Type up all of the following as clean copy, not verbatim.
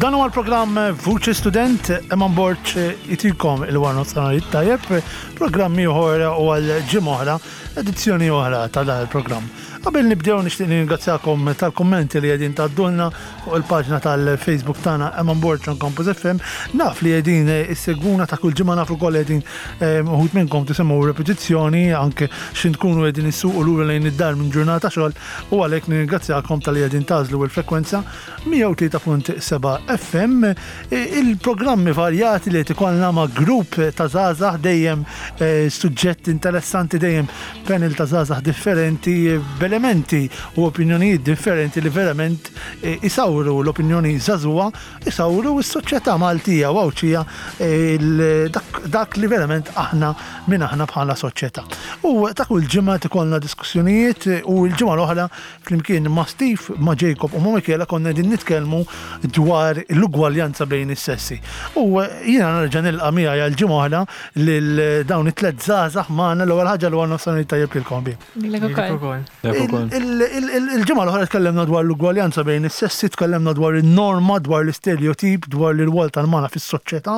Dan huwa l-programm Vuċi Student, Eman Borg itikom il-warna nofsinhar tajjeb, programm ieħor u għal ġimgħa oħra, edizzjoni oħra ta' dan il-programm. Qabel nibdew nixtieq nirringrazzjakom tal-kummenti li qegħdin tgħaddulna fuq il-paġna tal-Facebook tagħna Eman Borg on Campus FM. Naf li qegħdin issegwuna ta' kull ġimgħa naf ukoll qegħdin uħud minnkom tisimgħu repetizzjoni anke xi tkunu qegħdin issuqu lura lejn id-dar minn ġurnata xogħol u għalhekk nirringrazzjakom talli qegħdin tagħżlu l-frekwenza 103.7 FM. Il-programmi varjati li qed ikollna ma' grupp ta' żgħażagħ dejjem suġġett interessanti dejjem panel ta' żgħażagħ differenti b'elementi u opinjonijiet differenti li verament isawru l-opinjoni żagħżugħa, isawru s-soċjetà Maltija u Għawdxija dak li verament aħna min aħna bħala soċjetà. U ta' kull ġimgħa qed ikollna diskussjonijiet u l-ġimgħa l-oħra Flimkien ma' Steve, ma' Jacob u ma' Michela konna qegħdin nitkellmu dwar l-ugwaljanza bejn is-sessi. U jiena nerġa' nilqa' miegħi għal ġimgħa oħra lil dawn it-tliet żgħażagħ magħna l-ewwel ħaġa l nofsinhar tajjeb lilkom ħbieb. Lilek ukoll. Il-ġimgħa l-oħra tkellimna dwar l-ugwaljanza bejn is-sessi, tkellimna dwar in-norma, dwar l-istereotip, dwar l-irwol tal-mara fis-soċjetà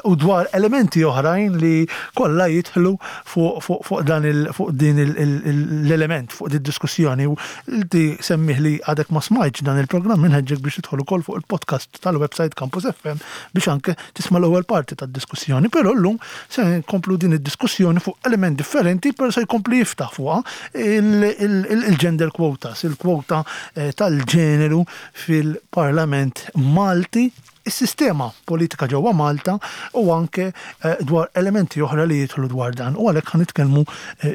u dwar elementi oħrajn li kollha jidħlu fuq dan il fuq din l-element, fuq din diskussjoni u inti semmih li għadek ma smajtx dan il-programm inħeġġek biex tidħol ukoll fuq il-podcast tal-website Campus FM biex anke tisma' l-ewwel parti tad-diskussjoni. Però llum se nkomplu din id-diskussjoni fuq element differenti però se jkompli jiftaħ fuqha il-gender quotas, il-kwota eh, tal-ġeneru fil-Parlament Malti is-sistema politika ġewwa Malta u anke dwar elementi oħra li jidħlu dwar dan. U għalhekk ħa nitkellmu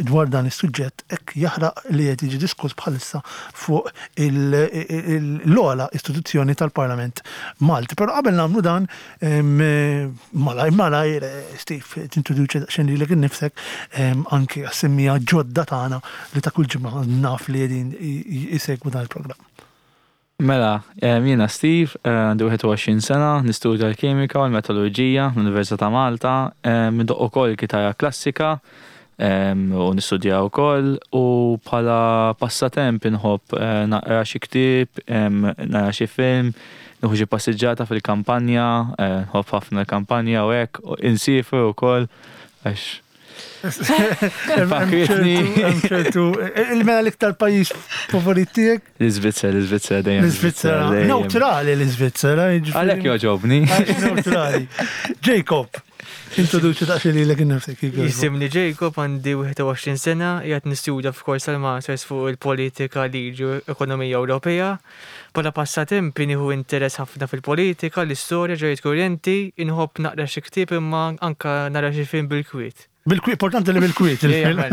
dwar dan is-suġġett hekk jaħraq li qed jiġi diskuss bħalissa fuq l-ogħla istituzzjoni tal-Parlament Malti. Però qabel nagħmlu dan, malajr malajr, Steve, tintroduċi daqsxejn lilek innifsek anke għas-semmiegħa ġodda tagħna li ta' kull ġimgħa naf li qegħdin isegwu dan il-programm. Mela, jiena Steve, għandi 21 sena, nistudja l-kimika u l-metallurġija l-Università ta' Malta, ndoqq ukoll il-kitarra klassika u nistudjaha wkoll u bħala passatemp inħobb naqra xi ktieb, nara xi film, nieħu xi passiġġata fil-kampanja, nħobb ħafna l-kampanja u hekk, insiefru wkoll għax Fakritni. Il-mela l-iktar pajjiż favorit tiegħek? L-Iżvizzera, l-Iżvizzera dejjem. L-Iżvizzera. Neutrali l-Iżvizzera. Għalhekk joġobni. Neutrali. Jacob, introduċi daqsxejn lilek innifsek. Jisimni Jacob, għandi 21 sena, qiegħed nistudja f'kors tal-Masters fuq il-politika, liġi u ekonomija Ewropea. Bħala passatempi nieħu interess ħafna fil-politika, l-istorja, ġrajjiet kurrenti, inħobb naqra xi ktieb imma anke nara xi film bil-kwiet. Bil-kwiet, importanti li bil-kwiet il-film.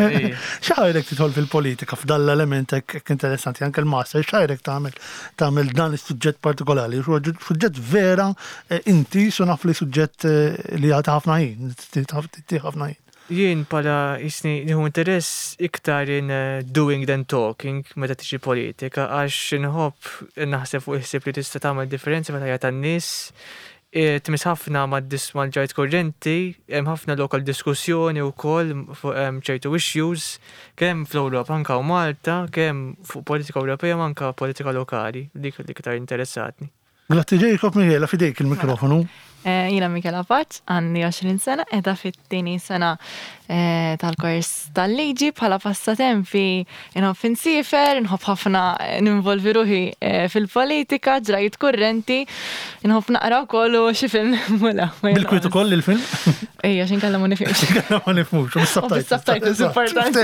X'ħajrek tidħol fil-politika f'dan l-element hekk interessanti anke l-master, x'ħajrek tagħmel tagħmel dan is-suġġett partikolari? Suġġett vera eh, inti su naf li suġġett eh, li jagħti ħafna ħin, tagħti ħafna ħin. Jien bħala jisni nieħu interess iktar in doing than talking meta tiġi politika għax inħobb naħseb fuq il-ħsieb li tista' tagħmel differenza fil-ħajja tan-nies. Tmiss ħafna mal-ġajt kurrenti, hemm ħafna lok għal diskussjoni wkoll fuq ċertu issues kemm fl-Ewropa anke hawn Malta, kemm fuq politika Ewropea u anke politika lokali, dik l-iktar interessatni. Grazzi Jacob, Michela fidejk il-mikrofonu. Eh, jiena Michela Paċ, għandi 20 sena, edha fit-tieni sena eh, tal-kors tal-liġi bħala passatempi inħobb insifer, inħobb ħafna eh, ninvolvi ruħi fil-politika, ġrajiet kurrenti, inħobb naqra wkoll u xi film mula. Bil-kwiet ukoll il-film? Ejja, xinkella ma nifhimx. Xinkella ma nifhmux, u bis-subtitles importanti.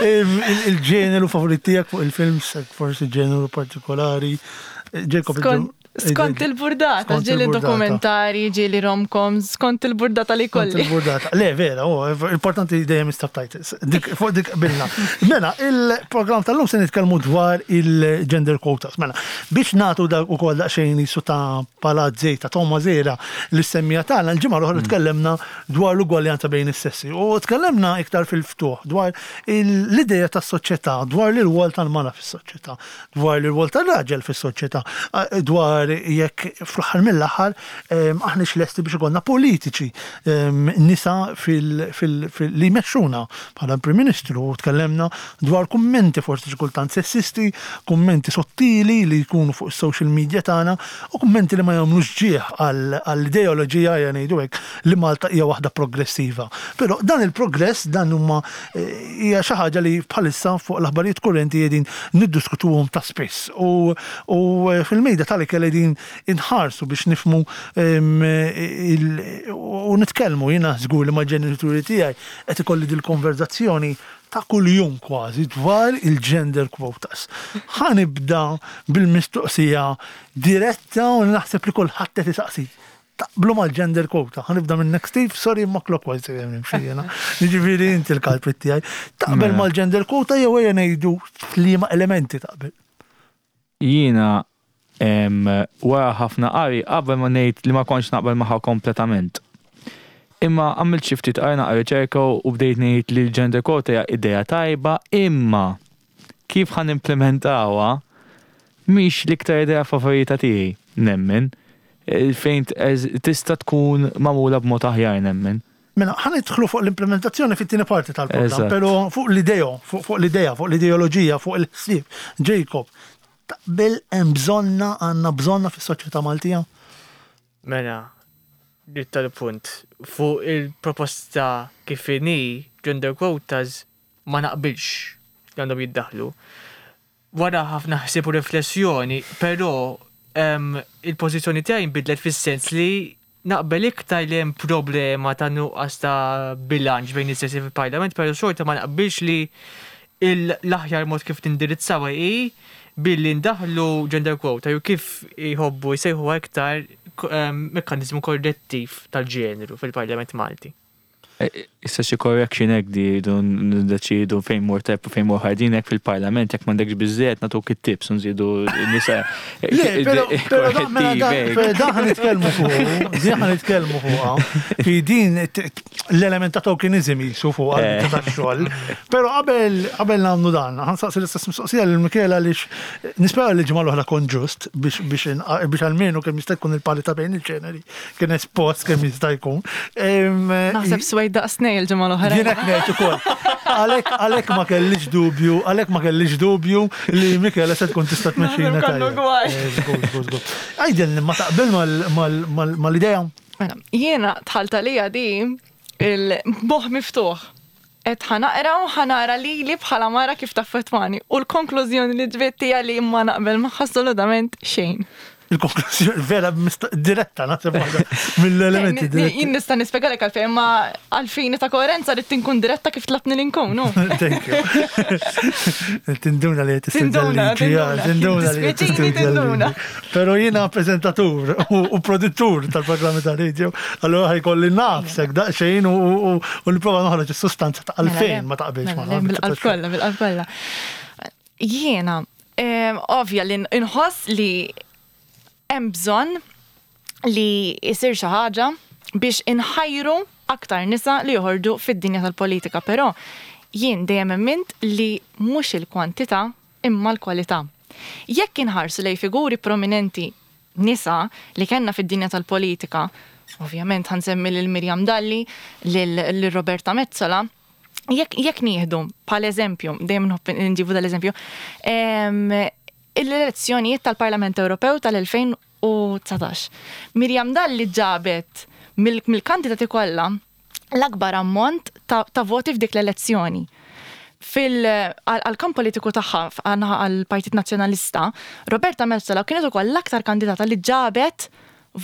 Il-ġeneru favorit tiegħek fuq il-film, forsi ġeneru partikolari. Jacob, Skont il-burdata, ġili dokumentari, ġili romcoms, skont il-burdata li kolli. Skont il-burdata. Le, vera, oh, importanti dejjem subtitles. Dik, fuq dik bilna. Mela, il-program tal-lum se nitkellmu dwar il-gender quotas. Mela, biex natu dak ukoll daqsxejn jisu ta' palazzej ta' Toma Zera li semmija tagħna, l-ġimgħa l-oħra mm. tkellimna dwar l-ugwaljanza bejn is-sessi. U tkellimna iktar fil-ftuħ dwar l-idea tas-soċjetà, dwar l-irwol tal-mara fis-soċjetà. dwar l-irwol tar-raġel fis-soċjetà, dwar dwar jekk fl-aħħar mill-aħħar aħniex lesti biex ikollna politiċi nisa li jmexxuna bħala Prim Ministru u tkellemna dwar kummenti forsi xi kultant sessisti, kummenti sottili li jkunu fuq is-social media tagħna u kummenti li ma jagħmlux ġieħ għall-ideoloġija ejja ngħidu hekk li Malta hija waħda progressiva. Però dan il-progress dan huma hija xi ħaġa li bħalissa fuq l-aħbarijiet kurrenti qegħdin niddiskutuhom ta' spiss u fil-mejda tal-ikel qegħdin inħarsu biex nifhmu u nitkellmu. Jiena żgur li mal-ġenituri tiegħi qed ikolli dil-konverżazzjoni ta' kuljum kważi dwar il-gender quotas. Ħa nibda bil-mistoqsija diretta u naħseb li kulħadd qed isaqsi. Taqblu mal-gender quota? Ħa nibda minnek Steve, sorry imma clockwise dejjem nimxi jiena. Jiġifieri inti l-culprit tiegħi. Taqbel mela. mal-gender quota jew ejja ngħidu f'liema elementi taqbel? Jiena wara ħafna qari qabel ma ngħid li ma kontx naqbel magħha kompletament. Imma għamilt xi ftit qari naqra riċerka u bdejt ngħid li l-gender quota hija idea tajba imma kif ħa nimplementawha mhix l-iktar idea favorita tiegħi, nemmen. Fejn tista' tkun magħmula b'mod aħjar nemmen. Mela, ħa nidħlu fuq l-implementazzjoni fit-tieni parti tal-programm, però fuq l-ideo, fuq l-idea, fuq l-ideoloġija, fuq il-ħsieb. Jacob, taqbel hemm bżonna, għandna bżonna fis-soċjetà Maltija? Mela, dritt tal-punt, fuq il-proposta kif inhi, gender quotas, ma naqbilx li għandhom jiddaħħlu. Wara ħafna ħsieb u riflessjoni, però il-pożizzjoni tiegħi nbidlet fis-sens li naqbel iktar li hemm problema ta' nuqqas ta' bilanċ bejn is-sessi fil-Parlament, però xorta ma naqbilx li l-aħjar mod kif tindirizzawha hi billi ndaħħlu gender quota jew kif jħobbu jsejħuha iktar mekkaniżmu korrettiv tal-ġeneru fil-Parlament Malti. Issa xi correction hekk di jridu niddeċiedu fejn mur tajjeb u fejn mur ħażin hekk fil-Parlament jekk m'għandekx biżżejjed nagħtuk it-tips u nżidu nisa. Le, però però da mela da da ħa nitkellmu fuq, di ħa nitkellmu fuqha. Fi din l-element ta' tokenism jisu fuq għal tax-xogħol. Però qabel qabel nagħmlu dan, ħa nsaqsi l-istess mistoqsija lil Michela għaliex nispera li l-ġimgħa l-oħra kont ġust biex biex biex almenu kemm jista' jkun il-parità bejn il-ġeneri. Kien espost kemm jista' jkun. Naħseb swejt daqs nej il-ġimgħa l-oħra. Jien hekk ngħid ukoll. Għalhekk ma kellix dubju, għalhekk ma kellix dubju li Michela se tkun tista' tmexxina tajjeb. Għidilni ma taqbel mal-idea? Mela, jiena dħalt għalija di il-moħħ miftuħ. Qed ħa naqra u ħa nara lili bħala mara kif taffettwani u l-konklużjoni li ġbidt hija li ma naqbel magħha assolutament xejn. Il-konklużjoni vera diretta naħseb waħda mill-elementi diretti. Jien nista' nispjegalek għalfejn imma għall-fini ta' koerenza rrid inkun diretta kif tlabtni li nkun. Thank you. Tinduna li qed tistudja l-liġi. Tinduna li qed tistudja l-liġi. Però jiena preżentatur u produttur tal-programmi ta' radio, allura ħajkolli nafsek daqsxejn u nipprova noħroġ is-sustanza ta' mela, għalfejn ma taqbilx ma. Mela, bil-qalb kollha, bil-qalb kollha. Jiena, ovvja li nħoss li hemm bżonn li jsir xi ħaġa biex inħajru aktar nisa li joħorġu fid-dinja tal-politika, però jien dejjem emmint li mhux il-kwantità imma l-kwalità. Jekk inħarsu lejn figuri prominenti nisa li kellna fid-dinja tal-politika, ovvjament ħa nsemmi lil Miriam Dalli, lil Roberta Metsola, jekk jekk nieħdu bħala eżempju, dejjem nħobb nġibu dal-eżempju, l-elezzjonijiet tal-Parlament Ewropew tal-2019. Miriam Dalli ġabet mill-kandidati kollha l-akbar ammont ta', ta voti f'dik l-elezzjoni. Fil għall-kamp politiku tagħha għall-Partit Nazzjonalista, Roberta Metsola kienet ukoll l-aktar kandidata li ġabet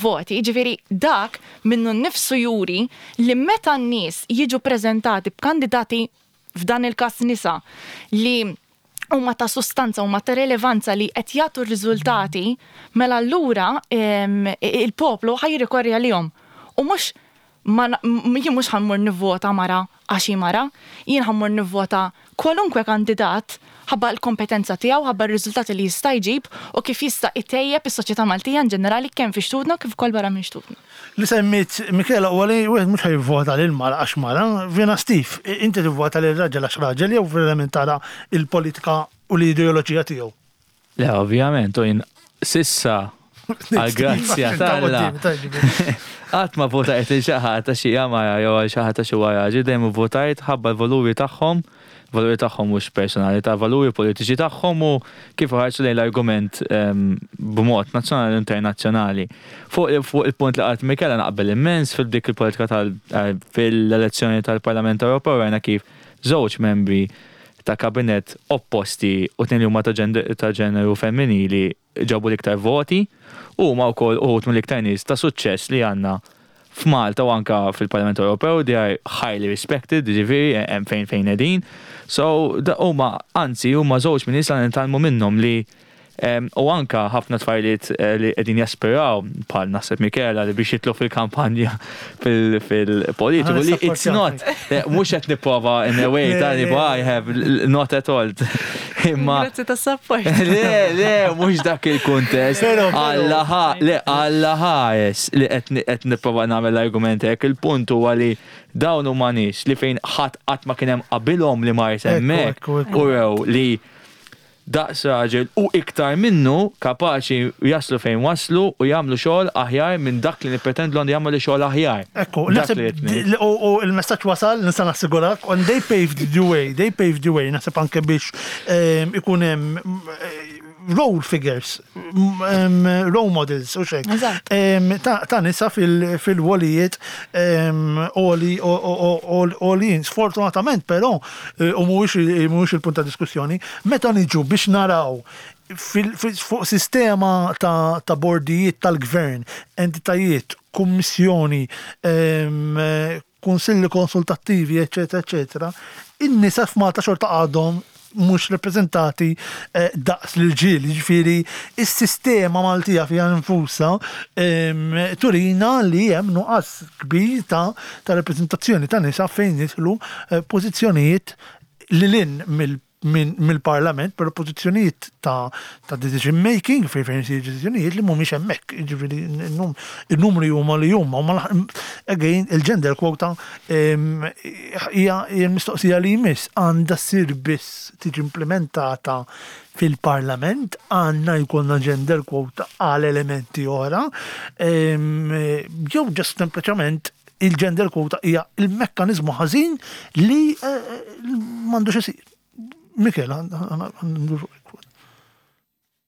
voti. Jiġifieri dak minnu nnifsu juri li meta n-nies jiġu preżentati b'kandidati f'dan il-każ nisa li huma ta' sustanza, huma ta' relevanza li qed jagħtu r-riżultati, mela allura il-poplu ħa jirrikorri għalihom. U mhux ma jien mhux ħa mmur nivvota mara għax hi mara, jien ħa mmur nivvota kwalunkwe kandidat ħabba l-kompetenza tiegħu, ħabba r-riżultati li jista' jġib u kif jista' itejjeb is-soċjetà Maltija in ġenerali kemm fi xtutna kif ukoll barra minn xtutna. Li semmiet Michela huwa li wieħed mhux ħa jivvota lil mara għax mara. Jiena Steve, inti tivvota lil raġel għax raġel jew verament tara l-politika u l-ideoloġija tiegħu? Le, ovvjament, u jien s'issa Għal-grazzja t'Alla. Qatt ma votajt lil xi ħadd għax hija mara jew għal xi ħadd għax huwa raġel, dejjem ivvotajt ħabba l-valuri tagħhom, valuri tagħhom mhux personali, ta' valuri politiċi tagħhom u kif iħarsu lejn l-argument b'mod nazzjonali u internazzjonali. Fuq il-punt li qalet Michela naqbel immens fil-dik il-politika tal fil-elezzjoni tal-Parlament Ewropew rajna kif żewġ membri ta' kabinett opposti u tnejn li huma ta' ġeneru femminili ġabu l-iktar voti u huma wkoll uħud mill-iktar nies ta' suċċess li għandna f'Malta u anka fil-Parlament Ewropew, they are highly respected, ġifieri hemm fejn qegħdin. So huma anzi huma żewġ minn nies li nitgħallmu minnhom li u anka ħafna tfajliet li qegħdin jaspiraw bħal naħseb Michela li biex jitlu fil-kampanja fil-politiku li it's not mhux qed nipprova in a way ta' li I have not at all. Imma Grazzi tas-support. Le, mhux dak il-kuntest. Alla le, Alla ħares li qed nipprova nagħmel l-argument hekk. Il-punt huwa li dawn huma nies li fejn ħadd qatt ma kien hemm qabilhom li mar hemmhekk u rew li daqs raġel u iktar minnu kapaċi jaslu fejn waslu u jagħmlu xogħol aħjar minn dak li nippretendu għandu jagħmlu xogħol aħjar. Ekku, naħseb u il-messaġġ wasal, nista' nassigurak, and they paved the way, they paved the way, naħseb anke biex ikun hemm role figures, role models, u hekk. Ta' nisa fil-wolijiet oli oli. Sfortunatament, però, u mhuwiex il-punt ta' diskussjoni, meta niġu biex naraw fuq sistema ta' bordijiet tal-gvern, entitajiet, kummissjoni, kunsilli konsultattivi, eccetera, eccetera, in-nisa f'Malta xorta għadhom mhux rappreżentati daqs l-irġiel, ġifieri is-sistema Maltija fiha nfusha turina li hemm nuqqas kbir ta' rappreżentazzjoni ta' nisa fejn jidħlu pożizzjonijiet lil hinn mill-parlament, però pożizzjonijiet ta' decision making fejn isir deċiżjonijiet li mhumiex hemmhekk. Ġifieri il-numri huma li huma. Again, il-gender quota hija l-mistoqsija li jmiss għandha ssir biss tiġi implementata fil-parlament, għandna jkollna gender quota għal elementi oħra, jew just sempliċement il-gender quota hija il-mekkanizmu ħażin li m'għandux isir. Michela,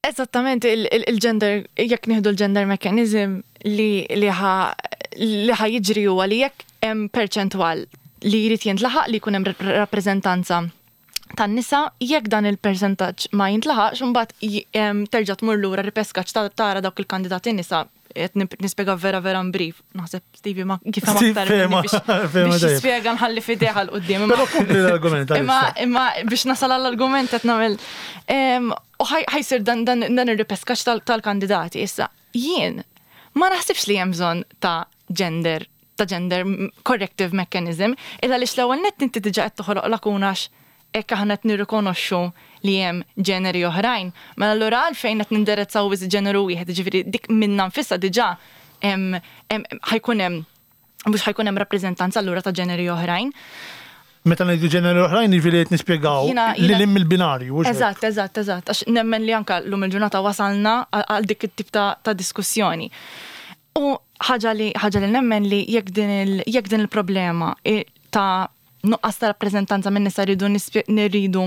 Eżattament, il-gender, jekk nieħdu l-gender mechanism li ħa jiġri huwa li jekk hemm perċentwal li jrid jintlaħaq li jkun hemm rappreżentanza tan-nisa, jekk dan il-percentaġġ ma jintlaħaqx, imbagħad terġa' tmur lura ripeskaġġ tara dawk il-kandidati nisa. Qed nispjega vera vera brief. Naħseb Stevie ma kif aktar biex jispjega nħalli f'idejh 'l quddiem. Però kompli l-argument. Imma biex nasal għall-argument qed nagħmel u ħa jsir dan ir-ripeskaġġ tal-kandidati issa. Jien ma naħsibx li hemm bżonn ta' gender corrective mechanism, illa li l-ewwel nett inti diġà qed toħloq lakuna hekk aħna qed nirrikonoxxu li hemm ġeneri oħrajn. Mela allura għalfejn qed nindirizzaw biss ġeneru wieħed, ġifieri dik minna nfisha diġà ħa jkun hemm mhux ħa jkun hemm rappreżentanza allura ta' ġeneri oħrajn. Meta ngħidu ġeneri oħrajn, jiġifieri qed nispjegaw li lim il-binarju. Eżatt. Għax nemmen li anka llum il-ġurnata wasalna għal dik it-tip ta' diskussjoni. U ħaġa li nemmen li jekk din il-problema ta' nuqqas ta' rappreżentanza minn nisa rridu nirridu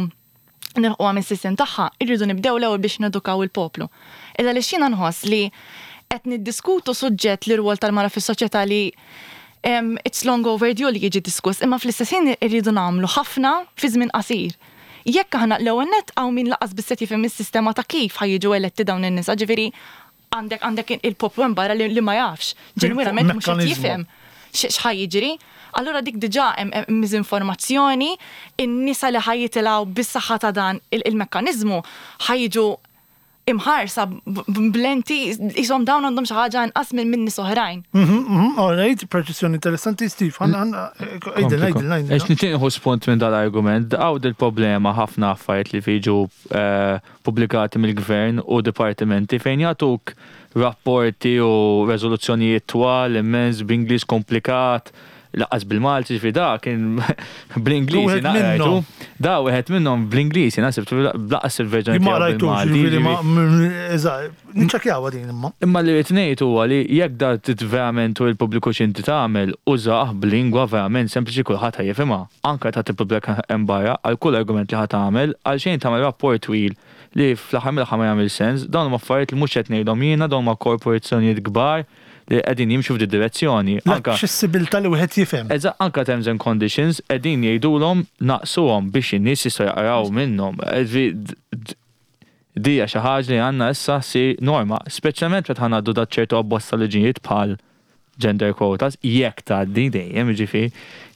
nilħquha mis-sistem tagħha, irridu nibdew l-ewwel biex nedukaw il-poplu. Illa li xina nħoss li qed niddiskutu suġġett li rwol tal-mara fis-soċjetà li it's long overdue li jiġi diskuss, imma fl-istess ħin irridu nagħmlu ħafna fi żmien qasir. Jekk aħna l-ewwel nett hawn min lanqas biss qed jifhem is-sistema ta' kif ħa jiġu eletti dawn in-nisa, ġifieri għandek il-poplu hemm barra li ma jafx, ġenwinament mhux qed jifhem x'ħa jiġri. Allura dik diġà hemm miżinformazzjoni, in-nisa li ħa jitilgħu bis-saħħa ta' dan il-mekkaniżmu ħa jiġu imħarsa b'lenti jisom dawn għandhom xi ħaġa inqas minn nies oħrajn. All right, perċezzjoni interessanti, Steve. Għidilna, għidilna. Ex nitieħu spunt minn dal-argument, għaw il-problema ħafna affarijiet li fiġu pubblikati mill-gvern u dipartimenti fejn jagħtuk rapporti u rezoluzzjonijiet twal immens b'Ingliż komplikat. Lanqas bil-Malti, ġifieri da kien bl-Ingliż jiena qrajtu. Da wieħed minnhom bl-Ingliż jiena sibt lanqas il-verżjoni tiegħu bil-Malti. Niċċekkjawha din imma. Imma li rrid ngħid huwa li jekk da trid verament turi l-pubbliku x'inti tagħmel, użah b'lingwa verament sempliċi kulħadd ħa jifhimha. Anke meta tippubblika hemm barra għal kull argument li ħa tagħmel, għalxejn tagħmel rapport twil li fl-aħħar mill-aħħar ma jagħmilx sens. Dawn huma affarijiet li mhux qed ngħidhom jiena, dawn huma korporazzjonijiet kbar li qegħdin jimxu f'di direzzjoni. L-aċċessibilità li wieħed jifhem. Eżatt, anke terms and conditions qegħdin jgħidulhom naqqsuhom biex in-nies jistgħu jaqraw minnhom. Di hija xi ħaġa li għandna issa ssir norma, speċjalment meta ħa ngħaddu da ċertu abbozz ta' liġijiet bħal gender quotas, jekk tgħaddi dejjem, jiġifieri,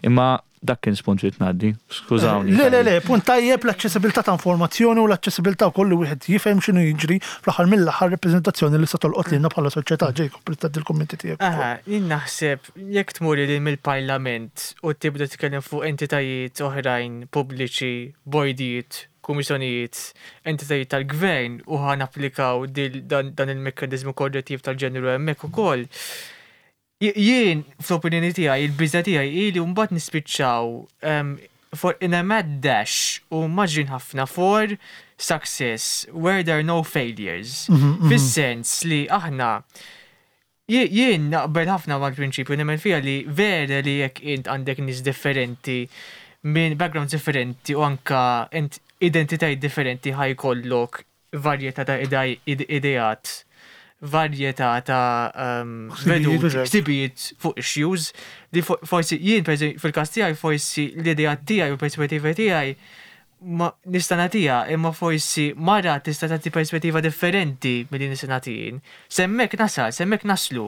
imma Dak kien spunt ridt ngħaddi. Skużawni. Le, le, le, punt tajjeb l-aċċessibilità ta' informazzjoni u l-aċċessibilità wkoll li wieħed jifhem x'inhu jiġri fl-aħħar mill-aħħar rappreżentazzjoni li se tolqot lilna bħala soċjetà. Jacob, trid tgħaddi l-kummenti tiegħek. Aha, jien naħseb jekk tmur lil mill-Parlament u tibda titkellem fuq entitajiet oħrajn pubbliċi, bordijiet, kummissjonijiet, entitajiet tal-gvern u ħa napplikaw dan il-mekkaniżmu korrettiv tal-ġeneru hemmhekk ukoll, Jien, fl-opinjoni tiegħi, il-biża' tiegħi hi li mbagħad nispiċċaw for in a mad dash u mgħaġġlin ħafna for success where there are no failures. Fis-sens li aħna jien naqbel ħafna mal-prinċipju nemmen fiha li vera li jekk int għandek nies differenti minn backgrounds differenti u anka identitajiet differenti ħa jkollok varjetà ta' ideat, varjetà ta' veduti, ħsibijiet fuq issues li forsi jien fil-każ tiegħi forsi l-ideat tiegħi u l-perspettiva tiegħi ma nista' nagħtiha imma forsi mara tista' tagħti perspettiva differenti milli nista' nagħti jien. S'hemmhekk nasal, s'hemmhekk naslu.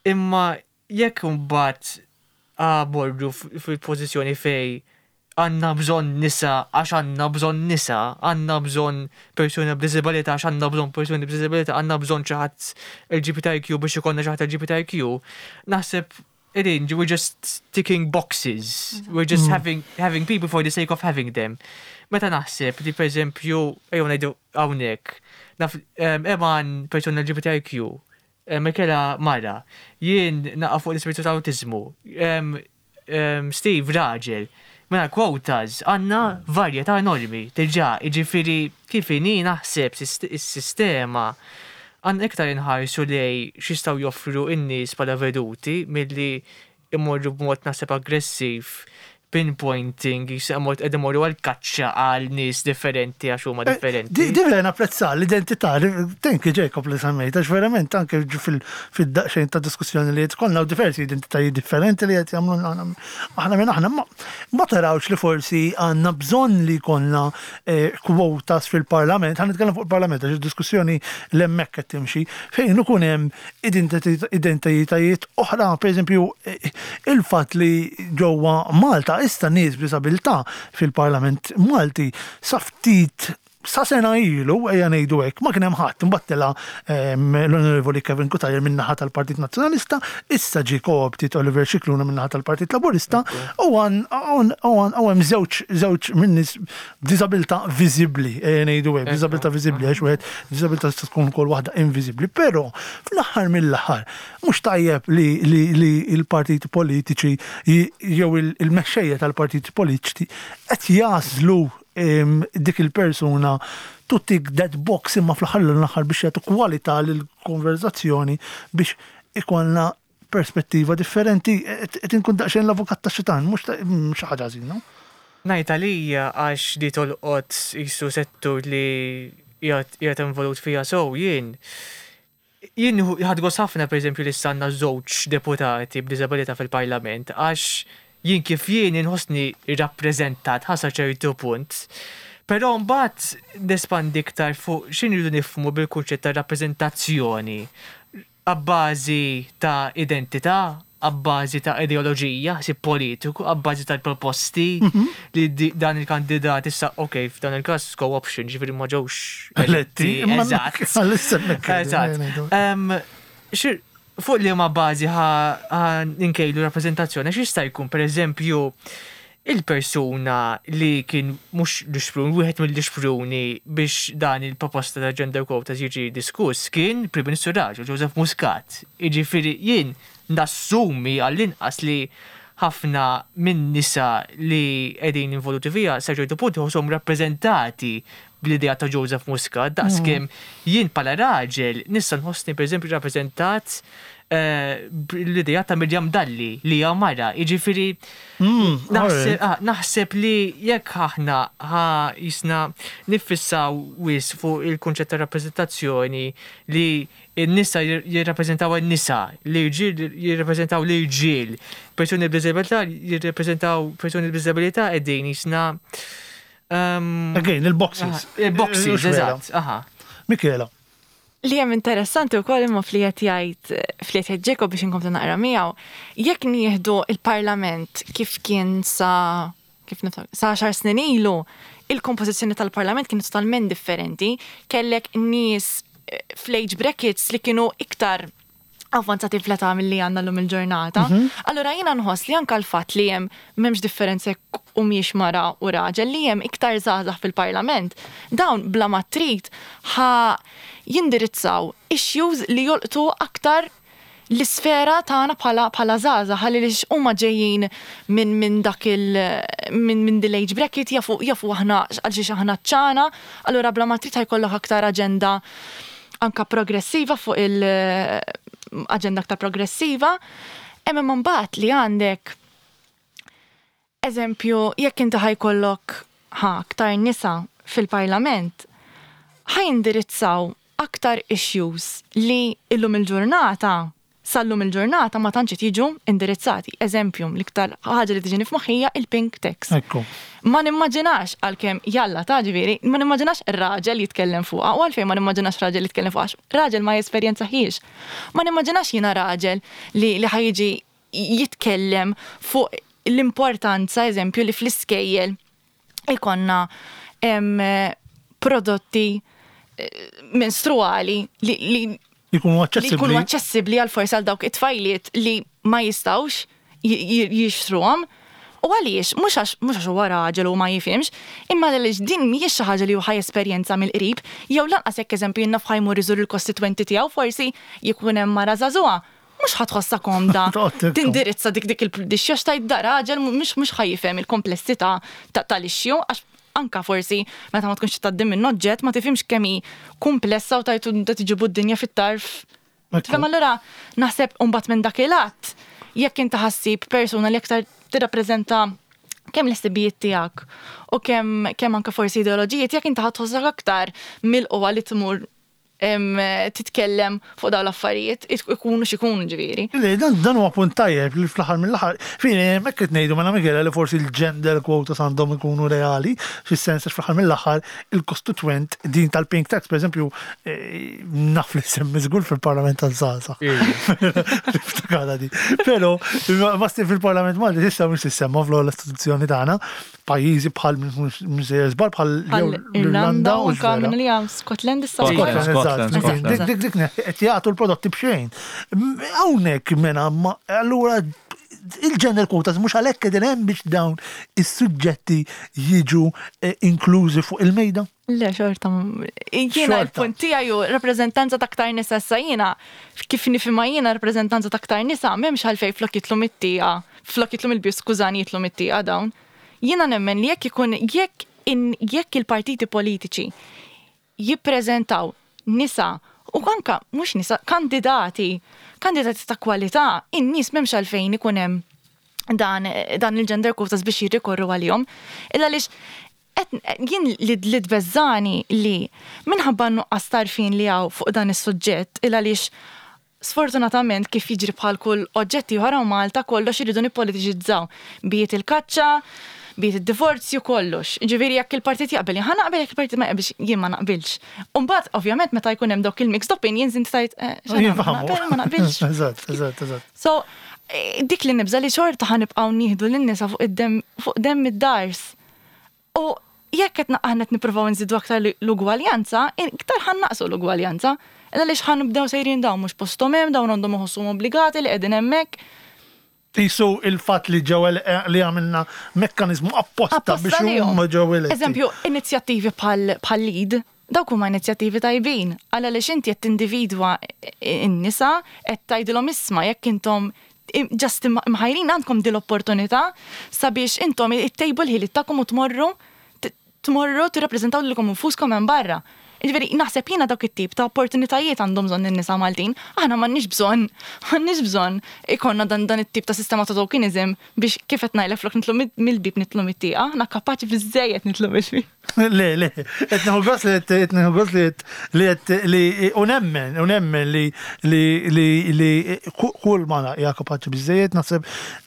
Imma jekk imbagħad morru fil-pożizzjoni fejn għandna bżonn nisa għax għandna bżonn nisa, għandna bżonn persuni b'diżabilità għax għandna bżonn persuni b'diżabilità, għandna bżonn xi ħadd LGBTIQ biex ikollna xi ħadd LGBTIQ, naħseb qegħdin we're just ticking boxes, we're just having, having people for the sake of having them. Meta naħseb li pereżempju, ejjew ngħidu hawnhekk, naf Eman persuna LGBTIQ, Michela mara, jien naqa' fuq l-ispettru tal-awtiżmu, Steve raġel. Mela quotas għandna varjetà enormi diġà, jiġifieri kif inhi naħseb is-sistema għandna iktar inħarsu lejn x'jistgħu joffru n-nies bħala veduti milli immorru b'mod naħseb aggressiv pinpointing, qed imorru għal kaċċa għal nies differenti għax huma differenti. Di vera napprezza l-identità, thank you Jacob li semmejt, għax verament anke fid-daqsxejn ta' diskussjoni li jkollna u diversi identitajiet differenti li qed jagħmlu aħna minn aħna ma tarawx li forsi għandna bżonn li jkollna quotas fil-parlament, ħa nitkellem fuq il-parlament għax id-diskussjoni l-hemmhekk qed timxi, fejn ikun hemm identitajiet oħra, pereżempju il-fatt li ġewwa Malta issa nies b'diżabilità fil-Parlament Malti sa ftit sa sena ilu, ejja ngħidu hekk, ma kien hemm ħadd. Imbagħad tela' l-Onorevoli Kevin Cutajar min-naħa tal-Partit Nazzjonalista, issa ġie co-opted Oliver Scicluna min-naħa tal-Partit Laburista u hemm żewġ żewġ min-nies b'diżabilità viżibbli, ejja ngħidu hekk, b'diżabilità viżibbli għax wieħed diżabilità tista' tkun ukoll waħda inviżibbli, però fl-aħħar mill-aħħar mhux tajjeb li li l-partiti politiċi jew il-mexxejja tal-partiti politiċi qed jagħżlu dik il-persuna to tick that box imma fl-aħħar mill-aħħar biex jagħtu kwalità lill-konverżazzjoni biex ikollna perspettiva differenti, qed inkun daqsxejn l-avukat tax-xitan, mhux xi ħaġa ħażina. Ngħid għalija għax di tolqot qisu settur li qiegħed involut fiha sew jien. Jien ħadt gost ħafna pereżempju li issa għandna żewġ deputati b'diżabilità fil-Parlament għax jien kif jien inħossni rappreżentat ħa sa ċertu punt. Però mbagħad nespandi iktar fuq x'inridu nifhmu bil-kunċett ta' rappreżentazzjoni. Abbażi ta' identità, abbażi ta' ideoloġija, ħsieb politiku, abbażi tal-proposti li dan il-kandidat issa, ok, f'dan il-każ co-option, ġifieri ma ġewx eletti. Eżatt. Eżatt. Fuq liema bażi ħa nkejlu rappreżentazzjoni, għax jista' jkun pereżempju Il-persuna li kien mhux l-ixprun, wieħed mill-ixpruni biex dan il-proposta ta' gender quotas jiġi diskuss kien Prim Ministru raġel, Joseph Muscat. Jiġifieri jien nassumi għall-inqas li ħafna minn nisa li qegħdin involuti fiha sa ċertu punt iħossuhom rappreżentati bl-idea ta' Joseph Muscat, daqskemm jien bħala raġel nista' nħossni pereżempju rappreżentat bl-idea ta' Miriam Dalli li hija mara, jiġifieri naħseb li jekk aħna ħa jisna niffissaw wisq fuq il-kunċett ta' rappreżentazzjoni li n-nisa jirrappreżentaw in-nisa, l-irġiel jirrappreżentaw l-irġiel, persuni b'diżabilità jirrappreżentaw persuni b'diżabilità qegħdin jisna. Again, il-boxes. Il-boxes, eżatt, aha. Michela. Li hemm interessanti wkoll imma fli qed jgħid fli qed jgħid Jacob biex inkomplu naqra miegħu, jekk nieħdu il-Parlament kif kien sa kif niftakar, sa għaxar snin ilu, il-kompożizzjoni tal-Parlament kienet totalment differenti, kellek nies fl-age brackets li kienu iktar avvanzati fl-età milli għandna llum il-ġurnata. Allura jiena nħoss li anke l-fatt li hemm m'hemmx differenza jekk humiex mara u raġel li hemm iktar żgħażagħ fil-Parlament, dawn bla ma trid ħa jindirizzaw issues li jolqtu aktar l-isfera tagħna bħala bħala żgħażagħ għaliex huma ġejjin minn minn dak il minn minn dil age bracket jafu jafu aħna għal xiex aħna ċana, allura bla ma trid ħa jkollok aktar aġenda anka progressiva fuq il aġenda aktar progressiva. Hemm imma mbagħad li għandek eżempju jekk inti ħa jkollok ħa aktar nisa fil-parlament, ħa jindirizzaw aktar issues li illum il-ġurnata, sal-lum il-ġurnata ma tantx qed jiġu indirizzati. Eżempju, l-iktar ħaġa li tiġini f'moħħi hija il-pink tax. Ekku. Ma nimmaġinax għalkemm jalla ta' ġifieri, ma nimmaġinax raġel jitkellem fuqha u għalfejn ma nimmaġinax raġel jitkellem fuqha għax raġel ma jesperjenzahiex. Ma nimmaġinax jiena raġel li li ħa jiġi jitkellem fuq l-importanza, eżempju, li fl-iskejjel ikonna prodotti menstruali li li Jkunu aċċessibbli. Li jkunu aċċessibbli għal forsi għal dawk it-tfajliet li ma jistgħux jixtruhom. U għaliex, mhux għax mhux għax huwa raġel u ma jifhimx, imma għaliex din mhijiex xi ħaġa li hu ħa jesperjenza mill-qrib, jew lanqas jekk eżempju jien naf ħa jmur iżur il-kostitwenti tiegħu forsi jkun hemm mara żagħżugħa, mhux ħa tħossha komda tindirizza dik dik il-issue għax tgħid da raġel mhux mhux ħa jifhem il-komplessità tal-issue għax anka forsi meta ma tkunx tgħaddi minn oġġett ma tifhimx kemm hi kumplessa u tgħid inta tiġibu d-dinja fit-tarf. Tifhem allura naħseb imbagħad minn dak il-att jekk inti ħassib persuna li aktar tirrappreżenta kemm l-ħsibijiet tiegħek u kemm kemm anke forsi ideoloġiji tiegħek inti ħa tħossok aktar milqugħa li tmur titkellem fuq dawn l-affarijiet, ikunu x'ikunu ġifieri. Le, dan huwa punt tajjeb li fl-aħħar mill-aħħar, fini hemmhekk qed ngħidu mela Michela li forsi l-gender quotas għandhom ikunu reali, fis-sens għax fl-aħħar mill-aħħar il-kostitwent din tal-pink tax pereżempju naf li semmi żgur fil-Parlament taż-żgħażagħ. Niftakarha di. Però ma fil-Parlament Malti s'issa mhux tissemma fl-ogħla istituzzjoni tagħna. Pajjiżi bħal minn sejjer żball bħal l-Irlanda u anka minn li hawn Scotland issa. Scotland, eżatt. Dik dik qed jagħtu l-prodotti b'xejn. Hawnhekk mela allura il-gender quotas mhux għalhekk qegħdin hemm biex dawn is-suġġetti jiġu eh, inklużi fuq il-mejda? Le, xorta. Jiena l-punt tiegħi hu rappreżentanza ta' aktar nisa issa jiena kif nifhimha jiena rappreżentanza ta' aktar nisa m'hemmx għalfejn flok jitlu mit-tieqa, flok jitlu mill-bieb skużani jitlu mit-tieqa dawn. Jiena nemmen li jekk ikun jekk jekk il-partiti politiċi jippreżentaw nisa u anka mhux nisa kandidati, kandidati ta' kwalità, in-nies m'hemmx għalfejn ikun hemm dan dan il-gender quotas biex jirrikorru għalihom. Illa għaliex Jien li li tbeżżagħni li minħabba n-nuqqas t'għarfien li hawn fuq dan is-suġġett il għaliex sfortunatament kif jiġri bħal kull oġġett ieħor hawn Malta kollox irridu nippolitiċizzaw. Biet il-kaċċa, biet id-divorzju, kollox. Jiġifieri jekk il-partit jaqbel jien ħa naqbel jekk il-partit ma jaqbilx jien ma naqbilx. U mbagħad ovvjament meta jkun hemm dawk il-mixed opinions inti tgħid eh, x'għan ma naqbilx. Eżatt, eżatt, eżatt. So, dik li nibża' li xorta ħa nibqgħu nieħdu lin-nisa fuq id-demm fuq demm id-dars. U jekk qed aħna qed nippruvaw nżidu aktar l-ugwaljanza, iktar ħa nnaqqsu l-ugwaljanza. Għaliex ħa nibdew sejrin dawn mhux posthom hemm, dawn għandhom iħossuhom obbligati li qegħdin hemmhekk. Qisu il-fatt li ġew li għamilna mekkaniżmu apposta biex huma ġew eletti. Eżempju, inizjattivi bħal LEAD, dawk huma inizjattivi tajbin. Għal għaliex inti qed tindividwa n-nisa, qed tgħidilhom isma' jekk intom just imħajrin għandkom din l-opportunità sabiex intom ittejbu l-ħiliet tagħkom u tmorru tmorru tirrappreżentaw lilkom infuskom hemm barra. Jiġifieri naħseb jiena dawk it-tip ta' opportunitajiet għandhom bżonn in-nisa Maltin. Aħna m'għandniex bżonn, m'għandniex bżonn ikollna dan dan it-tip ta' sistema ta' tokenism biex kif qed ngħidlek flok nidħlu mill-bieb nidħlu mit-tieqa, aħna kapaċi biżżejjed nidħlu mill-bieb. Le, le, qed nieħu gost li qed nieħu gost li qed li qed li u nemmen, u nemmen li li li li kull mara hija kapaċi biżżejjed naħseb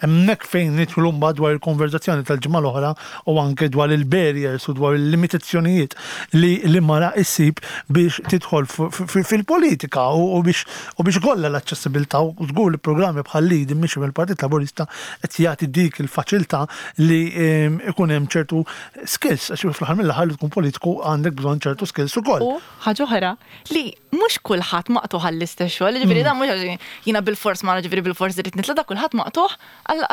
hemmhekk fejn nidħlu mbagħad dwar il-konverżazzjoni tal-ġimgħa l-oħra u anke dwar il-barriers u dwar il-limitazzjonijiet li li mara issib biex tidħol fil-politika u biex u biex ikollha l-aċċessibilità u żgur li programmi bħal LEAD immexxi mill-Partit Laburista qed jagħti dik il-faċilità li ikun hemm ċertu skills għax fl-aħħar mill-aħħar li tkun politiku għandek bżonn ċertu skills ukoll. U ħaġa oħra li mhux kulħadd maqtugħ għall-istess xogħol, jiġifieri dan mhux għax jiena bilfors mara ġifieri bilfors irrid nitla' da kulħadd maqtugħ għal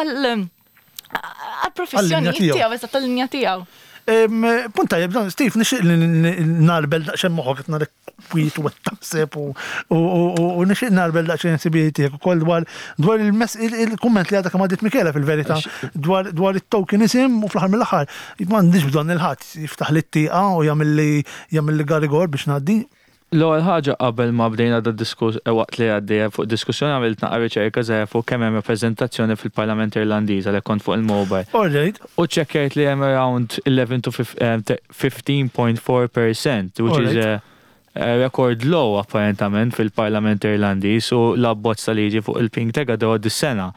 għal-professjoni tiegħu, eżatt tal-linja tiegħu. Punt tajjeb, dan Steve, nixtieq li narbel daqsxejn moħħok qed narek kwiet u qed taħseb u nixtieq narbel daqsxejn ħsibijiet tiegħek ukoll dwar dwar il-kumment li għadha kemm għaddiet Michela fil-verità dwar dwar it-tokenism u fl-aħħar mill-aħħar m'għandix bżonn il-ħadd jiftaħli t-tieqa u jagħmilli jagħmilli garigor biex ngħaddi. L-ewwel ħaġa qabel ma bdejna da diskus waqt li għaddejja fuq diskussjoni għamilt naqra riċerka żgħira fuq kemm hemm rappreżentazzjoni fil-Parlament Irlandiż għalhekk kont fuq il-mobile. Alright. U ċċekkjajt li hemm around 11 to 15.4 percent, which is a record low apparentament fil-Parlament Irlandiż u l-abbozz ta' liġi fuq il-pink tag għaddew dis-sena.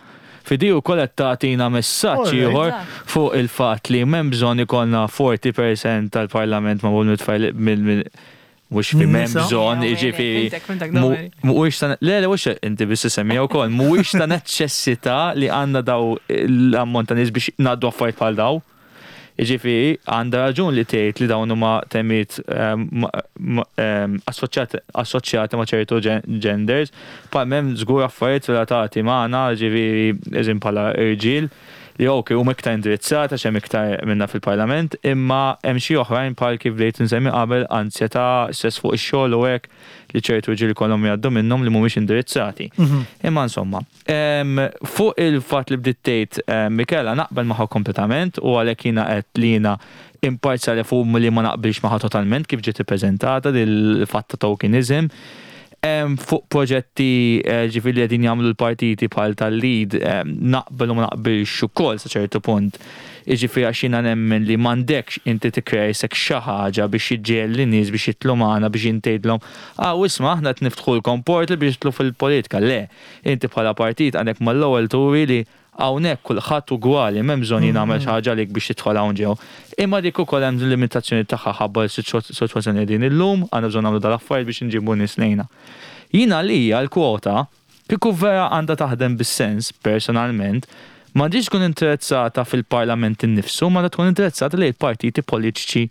Fidi wkoll qed tagħtina messaġġ ieħor fuq il-fatt li m'hemm bżonn ikollna 40 percent tal-Parlament magħmul mit-tfajliet Mhux fi m'hemm bżonn, jiġifieri mhuwiex ta' le le mhux inti biss isemmija wkoll, mhuwiex ta' neċessità li għandna daw l-ammont ta' nies biex ngħaddu affarijiet bħal daw. Jiġifieri għandha raġun li tgħid li dawn huma temiet assoċjati ma' ċertu genders, bħal m'hemm żgur affarijiet relatati magħna, jiġifieri eżempju bħala irġiel, li ok huma iktar indirizzati għax hemm iktar minna fil-Parlament, imma hemm xi oħrajn bħal kif bdejt insemmi qabel, anzjetà, stress fuq ix-xogħol u hekk li ċertu rġiel ikollhom jgħaddu minnhom li mhumiex indirizzati. Imma insomma, fuq il-fatt li bdiet tgħid Michela naqbel magħha kompletament u għalhekk jiena għedt li jiena imparzjali fuq li ma naqbilx magħha totalment kif ġiet ippreżentata dil-fatt ta' tokenism. Fuq proġetti ġifieri li qegħdin jagħmlu l-partiti bħal tal-LEAD naqbel u ma naqbilx ukoll sa ċertu punt. Jiġifieri għax jiena nemmen li m'għandekx inti tikkrea isek xi ħaġa biex iġġiegħel lin-nies biex jidħlu magħna biex int tgħidlhom, ah u isma' aħna qed niftħulkom portal biex tidħlu fil-politika. Le, inti bħala partit għandek mal-ewwel turi li Hawnhekk kulħadd ugwali, m'hemm bżonn jien nagħmel xi ħaġa għalik biex tidħol hawn ġew. Imma dik ukoll hemm limitazzjoni tagħha ħabba s-sitwazzjoni li qegħdin illum, għandna bżonn nagħmlu dal-affarijiet biex inġibu nies lejna. Jien għalija l-kwota, kieku vera għandha taħdem bis-sens, personalment, m'għandhiex tkun indirizzata fil-Parlament innifsu, imma għandha tkun indirizzata lejn il-partiti politiċi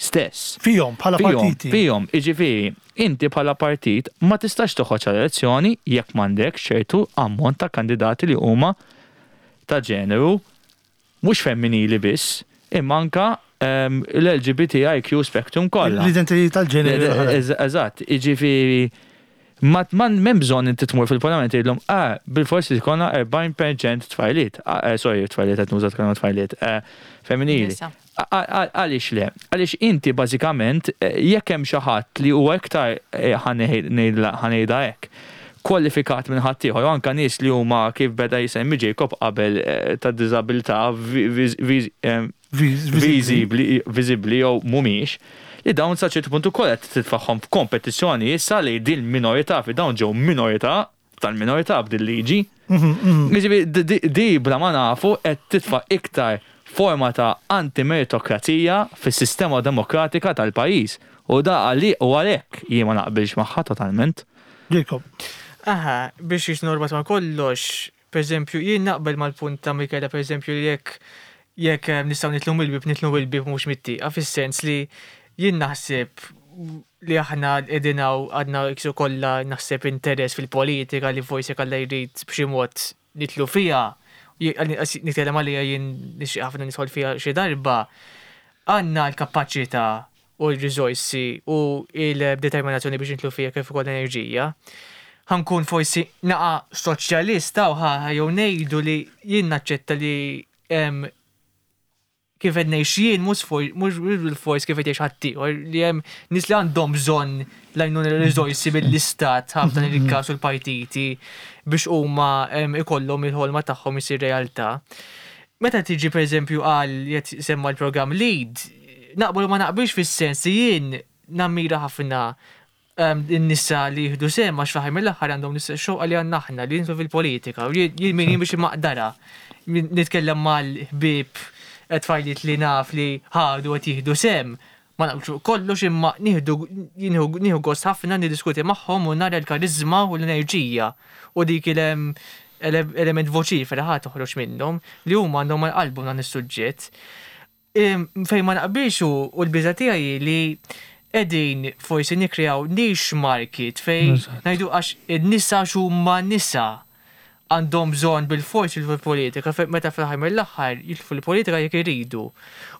stess. Fihom, bħala partiti. Fihom, jiġifieri, inti bħala partit ma tistax toħroġ għal elezzjoni jekk m'għandekx ċertu ammont ta' kandidati li huma ta' ġeneru mhux femminili biss, imma anke l-LGBTIQ spectrum kollha. L-identitajiet tal-ġeneru. Eżatt, jiġifieri ma m'hemm bżonn inti tmur fil-parlament tgħidlhom ah bilfors irid ikollna 40% tfajliet, sorry tfajliet qed nuża kelma tfajliet, femminili. Għaliex le? Għaliex inti bażikament jekk hemm xi ħadd li huwa iktar ħa ngħidha hekk, kwalifikat minn ħaddieħor u anke nies li huma kif beda jsemmi Jacob qabel ta' diżabilità viżibbli jew mhumiex, li dawn sa ċertu punt ukoll qed titfagħhom f'kompetizzjoni issa li din minorità fi dawn ġew minorità tal-minorità b'din liġi. Jiġifieri di bla ma nafu qed titfa' iktar forma ta' anti-meritokrazija fis-sistema demokratika tal-pajjiż. U da għali u għalhekk jien ma naqbilx magħha totalment. Jacob. Aha, biex norbot ma' kollox, per eżempju, jien naqbel mal-punt ta' Michela, per eżempju, li jekk jekk nistgħu nidħlu mill-bieb nidħlu mill-bieb mhux mit-tieqa, fis-sens li jien naħseb li aħna qegħdin hawn għandna iksu kollha naħseb interess fil-politika li forsi jekk Alla jrid b'xi mod nidħlu fiha, nitkellem għalija jien nixtieq ħafna nidħol fiha xi darba, għandna l-kapaċità u r-riżorsi u l-determinazzjoni biex nidħlu fiha kif ukoll l-enerġija. Ħa nkun forsi naqa soċjalista u ħa jew ngħidu li jien naċċetta li kif qed ngħix jien mhux mhux bil-fors kif qed jgħix ħaddieħor, li hemm nies li għandhom bżonn l-għajnuna, riżorsi mill-istat ħafna il-każ u l-partiti biex huma ikollhom il-ħolma tagħhom isir realtà. Meta tiġi, pereżempju, għal jett semma l-programm LEAD, naqbel u ma naqbilx fis-sens li jien nammira ħafna in-nisa li jieħdu sehem, għax fl-aħħar mill-aħħar għandhom l-istess xewqa li għandna aħna li jidħlu fil-politika u jien min jien biex immaqdarha. Nitkellem mal-ħbieb, tfajliet li naf li ħadu qed jieħdu sehem, ma naqblux fuq kollox imma nieħdu nieħu gost ħafna niddiskuti magħhom u nara l-kariżma u l-enerġija u dik il-element voċifera ħa toħroġ minnhom li huma għandhom għal qalbhom dan is-suġġett. Fejn ma naqbilx hu u l-biża' tiegħi hi li qegħdin forsi nikkreaw niche market fejn ngħidu għax in-nisa x'huma nisa għandhom bżonn bilfors jidħlu fil-politika, meta fl-aħħar mill-aħħar jidħlu fil-politika jekk iridu.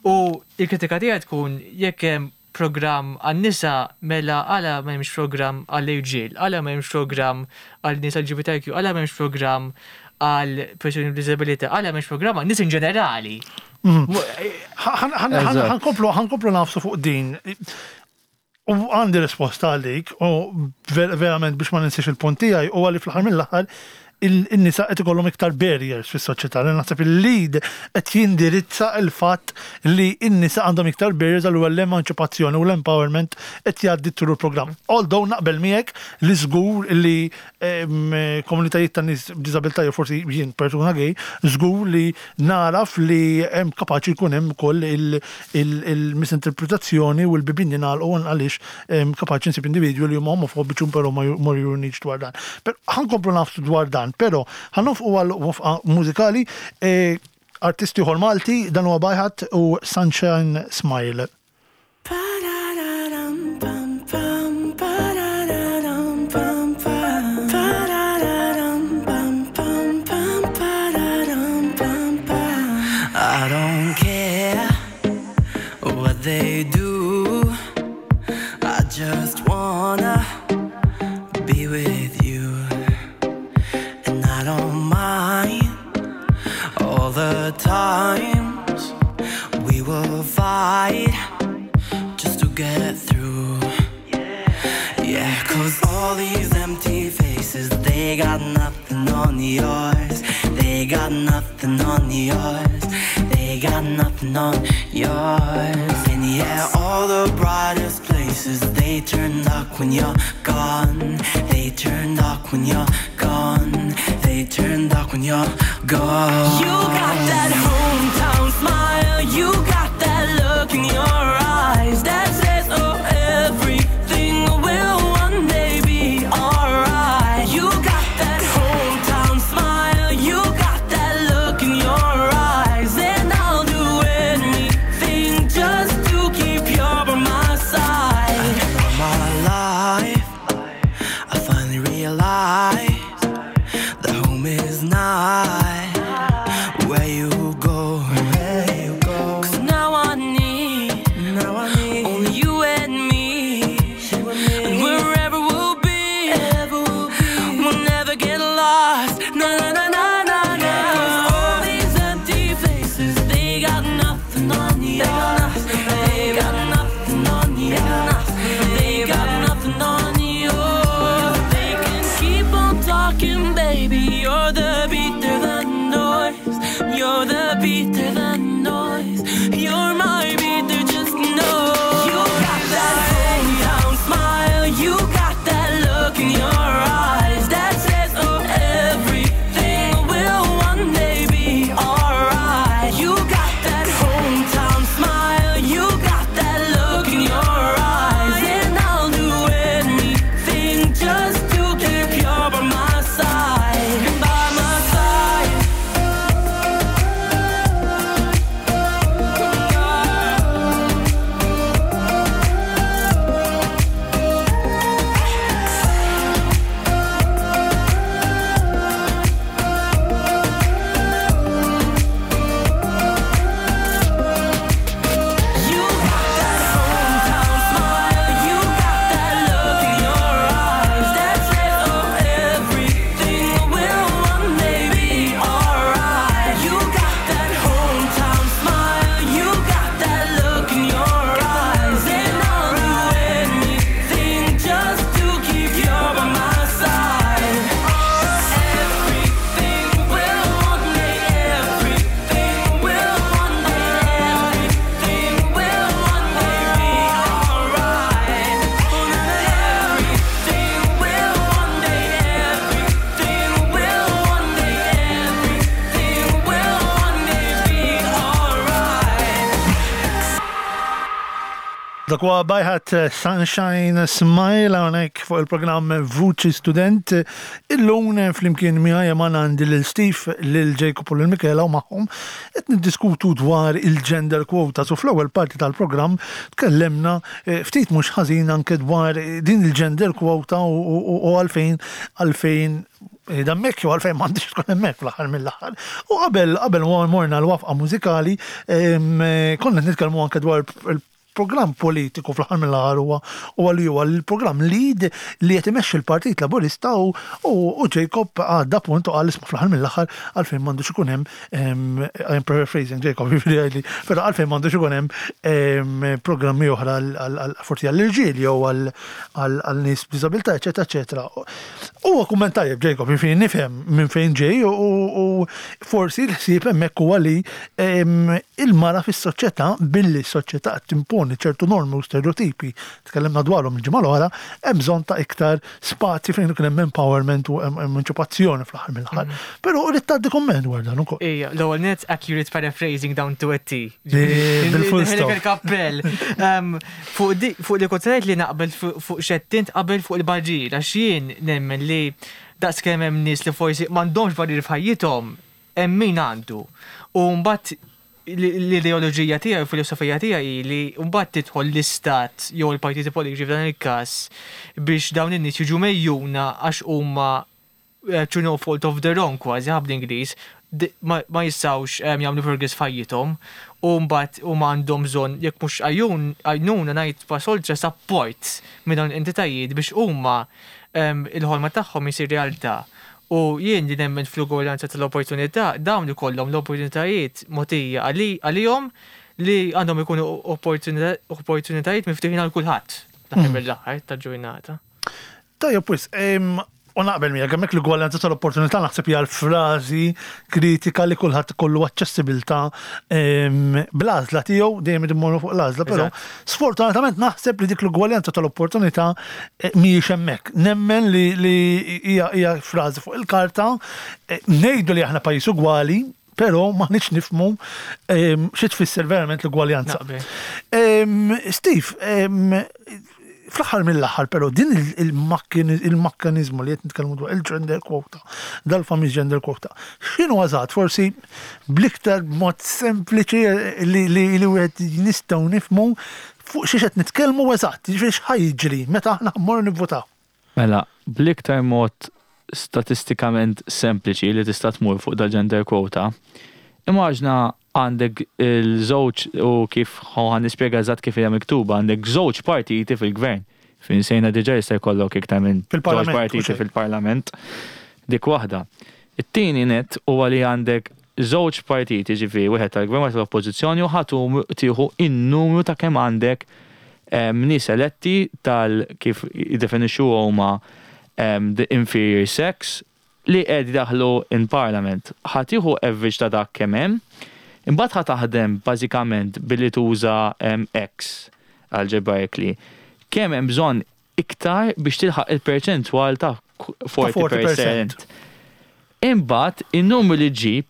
U l-kritika tiegħi tkun jekk hemm programm għan-nisa, mela għala m'hemmx programm għall-irġiel, għala m'hemmx programm għal nies LGBTIQ, għala m'hemmx programm għal persuni b'diżabilità, għala m'hemmx programm għan nies in ġenerali? Ħa nkomplu nagħfsu fuq din. U għandi risposta għalik, u verament biex ma ninsiex il-punt tiegħi, u għalli fl-aħħar mill-aħħar il-nisa qed ikollhom iktar barriers fis-soċjetà. Li naħseb il-LEAD qed jindirizza il-fatt li n-nisa għandhom iktar barriers, għal l-emanċipazzjoni u l-empowerment qed jgħaddi through il-programm. Although naqbel miegħek li żgur li komunitajiet ta' nies b'diżabilità jew forsi jien persuna gay, żgur li naraf li hemm kapaċi jkun hemm ukoll il-misinterpretazzjoni u l-bibien jingħalqu għaliex kapaċi nsib individwi li huma omofobiċi però ma jurunix dwar dan. Però ħa nkomplu nagħfsu dwar dan, però ħa nieqfu għal waqfa mużikali, artist ieħor Malti, dan huwa Bajħat u Sunshine Smile. Pararam pam pam, pararam pam pam, pararam pam pam pam, pararam pam pam. I don't care what they do. I just wanna be with you. And I don't mind all the times we will fight just to get through. Yeah, 'cause all these empty faces, they got nothing on yours. They got nothing on yours. They got nothing on yours. And yeah, all the brightest places, they turn dark when you're gone. They turn dark when you're gone. They turn dark when you're gone. You got that hometown smile. You got that look in your eyes that says, "Oh, everything will one day be alright." You got that hometown smile. You got that look in your eyes, and I'll do anything just to keep you by my side. All my life, I finally realized that home is not where you go. Dak huwa Bajħat Sunshine Smile hawnhekk fuq il-programm Vuċi Student. Illum flimkien miegħi man għandi lil Steve, lil Jacob u lil Michela u magħhom qed niddiskutu dwar il-gender quotas u fl-ewwel parti tal-programm tkellemna eh, ftit mhux ħażin anke dwar din il-gender quota u għalfejn għalfejn Qiegħda hemmhekk jew għalfejn m'għandix tkun hemmhekk fl-aħħar mill-aħħar. U qabel qabel morna l-wafqa mużikali, konna nitkellmu anke dwar il-programm politiku fl-aħħar mill-aħħar huwa huwa li huwa l-programm lead li qed imexxi l-Partit Laburista u u Jacob għadda punt u qal isma' fl-aħħar mill-aħħar għalfejn m'għandux ikun hemm I'm paraphrasing Jacob, jiġifieri jgħidli, però għalfejn m'għandux ikun hemm programmi oħra forsi għall-irġiel jew għal nies b'diżabilità, eċetera, eċetera. Huwa kumment tajjeb Jacob, jiġifieri nifhem minn fejn ġej u forsi l-ħsieb hemmhekk huwa li il-mara fis-soċjetà billi s-soċjetà qed timponi ċertu normi u stereotipi, tkellimna dwarhom il-ġimgħa l-oħra, hemm bżonn ta' iktar spazji fejn ikun hemm empowerment u emanċipazzjoni fl-aħħar mill-aħħar. Però rrid tgħaddi kumment dwar dan ukoll. Ejja, l-ewwel nett accurate paraphrasing down to a T. Bil-full stop. Il-kappell. Fuq li kont ngħid li naqbel fuq x'għedt int qabel fuq il-barrier għax jien nemmen li daqskemm hemm nies li forsi m'għandhomx barrier f'ħajjithom, hemm min għandu. U mbagħad l-ideoloġija tiegħi u l-filosofija tiegħi hi li mbagħad tidħol l-istat jew il-partiti politiċi f'dan il-każ biex dawn in-nies jiġu megħjuna għax huma through no fault of their own kważi ħa bl-Ingliż, ma jistgħux jagħmlu progress f'ħajjithom u mbagħad huma għandhom bżonn jekk mhux għajnuna ngħid pass oltre support minn dawn l-entitajiet biex huma il-ħolma tagħhom isir realtà. U jien li nemmen fl-ugwaljanza tal-opportunità, dawn ikollhom l-opportunitajiet mogħtija għalihom li għandhom ikunu opportunitajiet miftuħin għal kulħadd fl-aħħar mill-aħħar tal-ġurnata. Tajjeb wisq, u naqbel miegħek hemmhekk l-ugwaljanza tal-opportunità naħseb hija l-frażi kritika li kulħadd ikollu aċċessibilità bl-għażla tiegħu, dejjem irid immorru fuq l-għażla, però sfortunatament naħseb li dik l-ugwaljanza tal-opportunità eh, mhijiex hemmhekk. Nemmen li hija frażi fuq il-karta, eh, ngħidu li aħna pajjiż ugwali, però m'aħniex nifhmu xi tfisser verament l-ugwaljanza. Steve, fl-aħħar mill-aħħar però din il-makkaniżmu li qed nitkellmu dwar il-gender quota, dal-famuż gender quota, x'inhu eżatt forsi bl-iktar mod sempliċi li wieħed nistgħu nifhmu fuq xiex qed nitkellmu eżatt, jiġifieri x'ħa jiġri meta aħna mmorru nivvutaw. Mela, bl-iktar mod statistikament sempliċi li tista' tmur fuq dal-gender quota, immaġna għandek il-żewġ u kif ħa nispjega eżatt kif hija miktuba, għandek żewġ partiti fil-gvern. Fejn sejna diġà jista' jkollok iktar minn żewġ partiti fil-parlament. Dik waħda. It-tieni nett huwa li għandek żewġ partiti, ġifieri wieħed tal-gvern wieħed tal-oppożizzjoni u ħa tieħu n-numru ta' kemm għandek nies eletti tal kif jiddefinixxuha huma the inferior sex li qed jdaħħlu in parliament. Ħa tieħu average ta' dak kemm hemm, imbagħad ħa taħdem bażikament billi tuża X algebraically kemm hemm bżonn iktar biex tilħaq il-perċentwal ta' 40%. Imbagħad in-numru li ġġib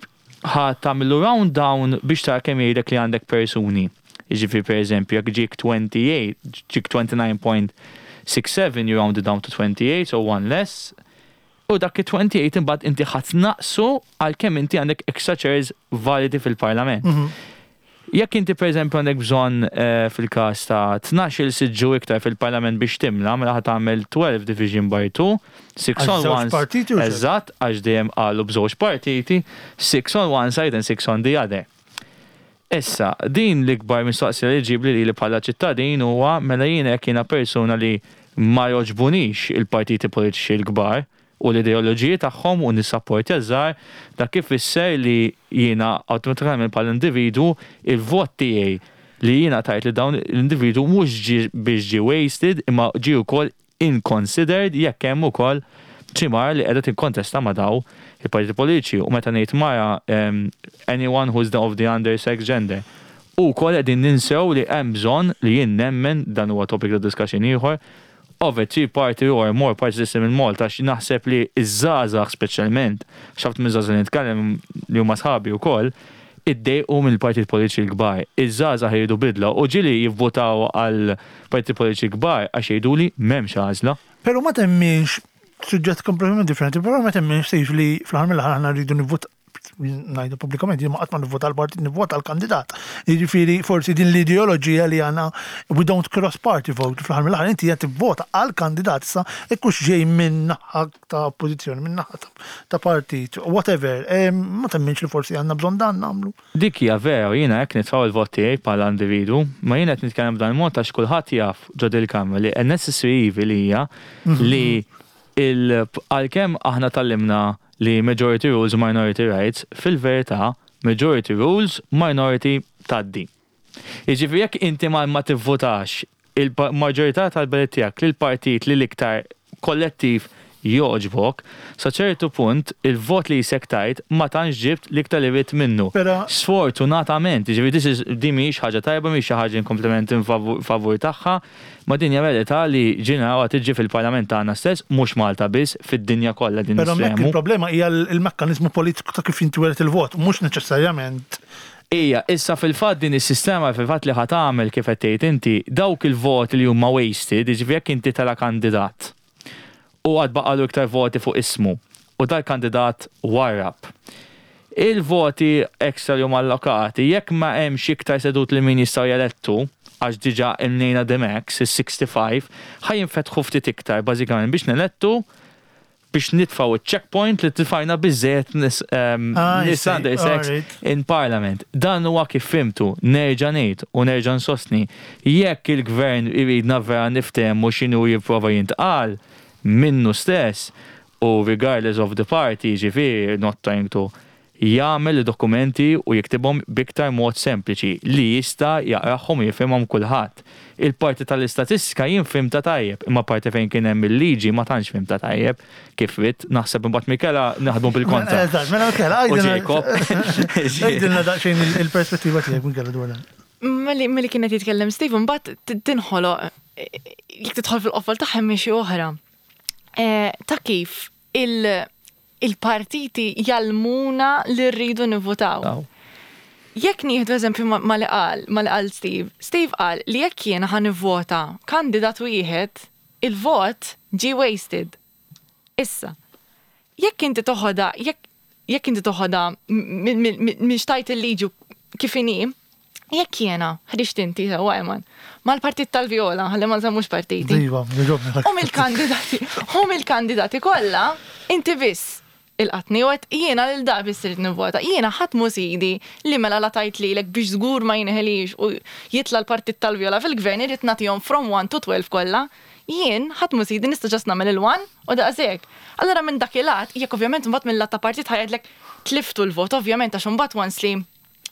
ħa tagħmillu round down biex tara kemm jgħidlek li għandek persuni. Jiġifieri pereżempju jekk ġiek 28, ġiek 29.67 you round it down to 28, so one less. U dak it-28 imbagħad inti ħa tnaqqsu għal kemm inti għandek extra chairs validi fil-Parlament. Jekk inti pereżempju għandek bżonn fil-każ ta' tnax-il siġġu iktar fil-Parlament biex timla, mela ħa tagħmel 12 division by 2, six on one. Partiti u Eżatt, għax dejjem qalu b'żewġ partiti, six on one side and six on the other. Issa, din l-ikbar mistoqsija li ġġibli lili bħala ċittadin huwa mela jiena jekk jiena persuna li ma jogħġbunix il-partiti politiċi l-kbar, u l-ideoloġiji tagħhom u nissapportja ż-żgħar, dak ifisser li jiena awtomatikament bħala individwu il-vot tiegħi li jiena tajt lil dawn l-individwu mhux ġie biex ġie wasted imma ġie wkoll inconsidered jekk hemm ukoll xi mara li qiegħda tikkontesta ma' daw il-partiti politiċi u meta ngħid mara anyone who is of the under sex gender. U wkoll qegħdin ninsew li hemm bżonn li jien nemmen dan huwa topic ta' discussion ieħor of a three party or more party system in Malta għax naħseb li ż-żgħażagħ speċjalment, għax ħafna miż-żgħażagħ li nitkellem li huma sħabi wkoll, Iddejqu mill-partit politiċi l-kbar. Iż-żgħażagħ iridu bidla u ġieli jivvutaw għal partit politiċi kbar għax jgħidu li m'hemmx għażla. Però ma temminx, suġġett kompletament differenti, però ma temminx Steve li fl-aħħar mill-aħħar aħna rridu nivvutaw, ngħidu pubblikament, jien ma qatt ma nivvota għall-partit, nivvota għall-kandidat. Jiġifieri forsi din l-ideoloġija li għandna we don't cross party vote, fl-aħħar mill-aħħar inti qed tivvota għall-kandidat issa jekk hux ġej minn naħa ta' oppożizzjoni, minn naħa ta' partit, whatever, ma temminx li forsi għandna bżonn dan nagħmlu? Dik hija vera u jiena hekk nitfgħu l-vot tiegħi bħala individwu, ma jiena qed nitkellem b'dan il-mod għax kulħadd jaf ġo dil-kamra li a necessary evil hija li għalkemm aħna tgħallimna li majority rules minority rights, fil-verità majority rules minority tgħaddi. Jiġifieri jekk inti ma ma tivvutax il-maġġorità tal-ballot tiegħek lill-partit li l-iktar kollettiv jogħġbok, sa ċertu punt il-vot li jisek tajt ma tantx ġibt l-iktar li ridt minnu. Sfortunatament, jiġifieri this is din mhijiex ħaġa tajba, mhijiex xi ħaġa kompletament favur tagħha, ma din hija verità li ġie narawha tiġri fil-Parlament tagħna stess, mhux Malta biss, fid-dinja kollha din Però hemmhekk il-problema hija l-mekkaniżmu politiku ta' kif jintwieled il-vot, mhux neċessarjament Hija, issa fil-fatt din is-sistema fil-fatt li ħa tagħmel kif qed tgħid inti, dawk il-voti li huma wasted, jiġifieri jekk inti tela' kandidat u għad baqagħlu iktar voti fuq ismu u dal-kandidat warrab. Il-voti extra li huma allokati, jekk ma hemmx iktar sedut li min jistgħu jelettu, għax diġà imnejna the max, is-65, ħa jinfetħu ftit iktar bażikament biex nelettu biex nitfgħu ċ-checkpoint li tfajna biżżejjed nies nies under sex in parliament. Dan huwa kif fhimtu, nerġa' ngħid u nerġa' nsostni, jekk il-Gvern iridna vera niftehmu x'inhu jipprova jintqal minnu stess u regardless of the party, jiġifieri not trying to jagħmel id-dokumenti u jiktibhom b'iktar mod sempliċi li jista' jaqrahom u jifhimhom kulħadd. Il-parti tal-istatistika jien fhimtha tajjeb, imma parti fejn kien hemm il-liġi ma tantx fhimtha tajjeb, kif ridt, naħseb imbagħad Michela naħdmu bil-kontra. Eżatt, mela Michela, U Jacob. Għidilna daqsxejn il-perspettiva tiegħek Michela dwar dan. Malli kien qed jitkellem Steve imbagħad tinħoloq jekk tidħol fil-qofol tagħha hemm xi oħra. Ta' kif il- il-partiti jgħallmuna li rridu nivvutaw. Jekk nieħdu eżempju ma li qal, ma li qal Steve, Steve qal li jekk jiena ħa nivvota kandidat wieħed, il-vot ġie wasted. Issa, jekk inti toħodha, jekk jekk inti toħodha minn x'tgħid il-liġi kif inhi, Jekk jiena, ħriġt inti sewwa Eman, mal-partit tal-Vjola, ħalli ma nżammux partiti. Iva, jogħġobni. U mill-kandidati, u mill-kandidati kollha, inti biss ilqatni u għedt jiena lil da biss irid nivvota. Jiena ħadd mhu sidi li mela la tajt lilek biex żgur ma jinħelix u jitla' l-partit tal-Vjola fil-gvern irrid nagħtihom from 1 to 12 kollha. Jien ħadd mhu sidi nista' ġast nagħmel il-one u daqshekk. Allura minn dak il-att, jekk ovvjament imbagħad mill-lat ta' partit ħa jgħidlek tliftu l-vot ovvjament għax imbagħad once li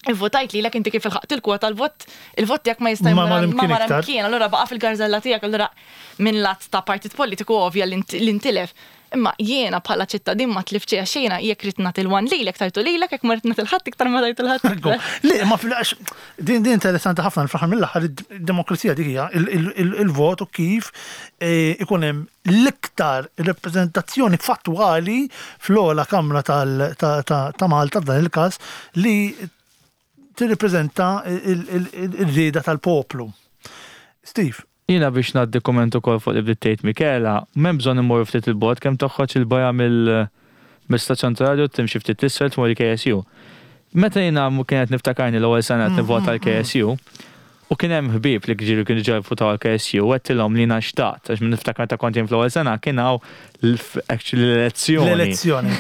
Ivvotajt lilek inti kif ilħaqt il-kwota l-vot il-vot tiegħek ma jista' Ma mar jmur ma imkien mar iktar. imkien, allura baqa' fil-garżella tiegħek, allura minn lat ta' partit politiku ovvja li nt- li ntilef. Imma jiena bħala ċittadin ma tlift xejn għax jiena jekk ridt nagħti l-one lilek tajtu lilek, jekk ma ridt nagħti l-ħadd iktar ma tajtu l-ħadd iktar. Le, ma fil-għax, din din interessanti ħafna fl-aħħar mill-aħħar id-demokrazija dik hija il-vot u kif eh, ikun hemm l-iktar rappreżentazzjoni fattwali fl-ogħla kamra ta' Malta f'dan il-każ li tirrippreżenta r-rieda tal-poplu. Steve. Jiena biex ngħaddi kumment ukoll fuq li bdiet tgħid Michela, m'hemm bżonn immorru ftit 'il bogħod kemm toħroġ 'il barra mill-istazzjon tar-radju timxi ftit 'l isfel tmur il-KSU. Meta jiena kienet niftakarni l-ewwel sena qed nivvota għall-KSU, U kien hemm ħbieb li ġieli kienu ġa jivvutaw għall-KSU u għedtilhom li jiena xtaqt, għax niftakar meta kont jien fl-ewwel sena kien hawn actually l-elezzjoni. L-elezzjoni.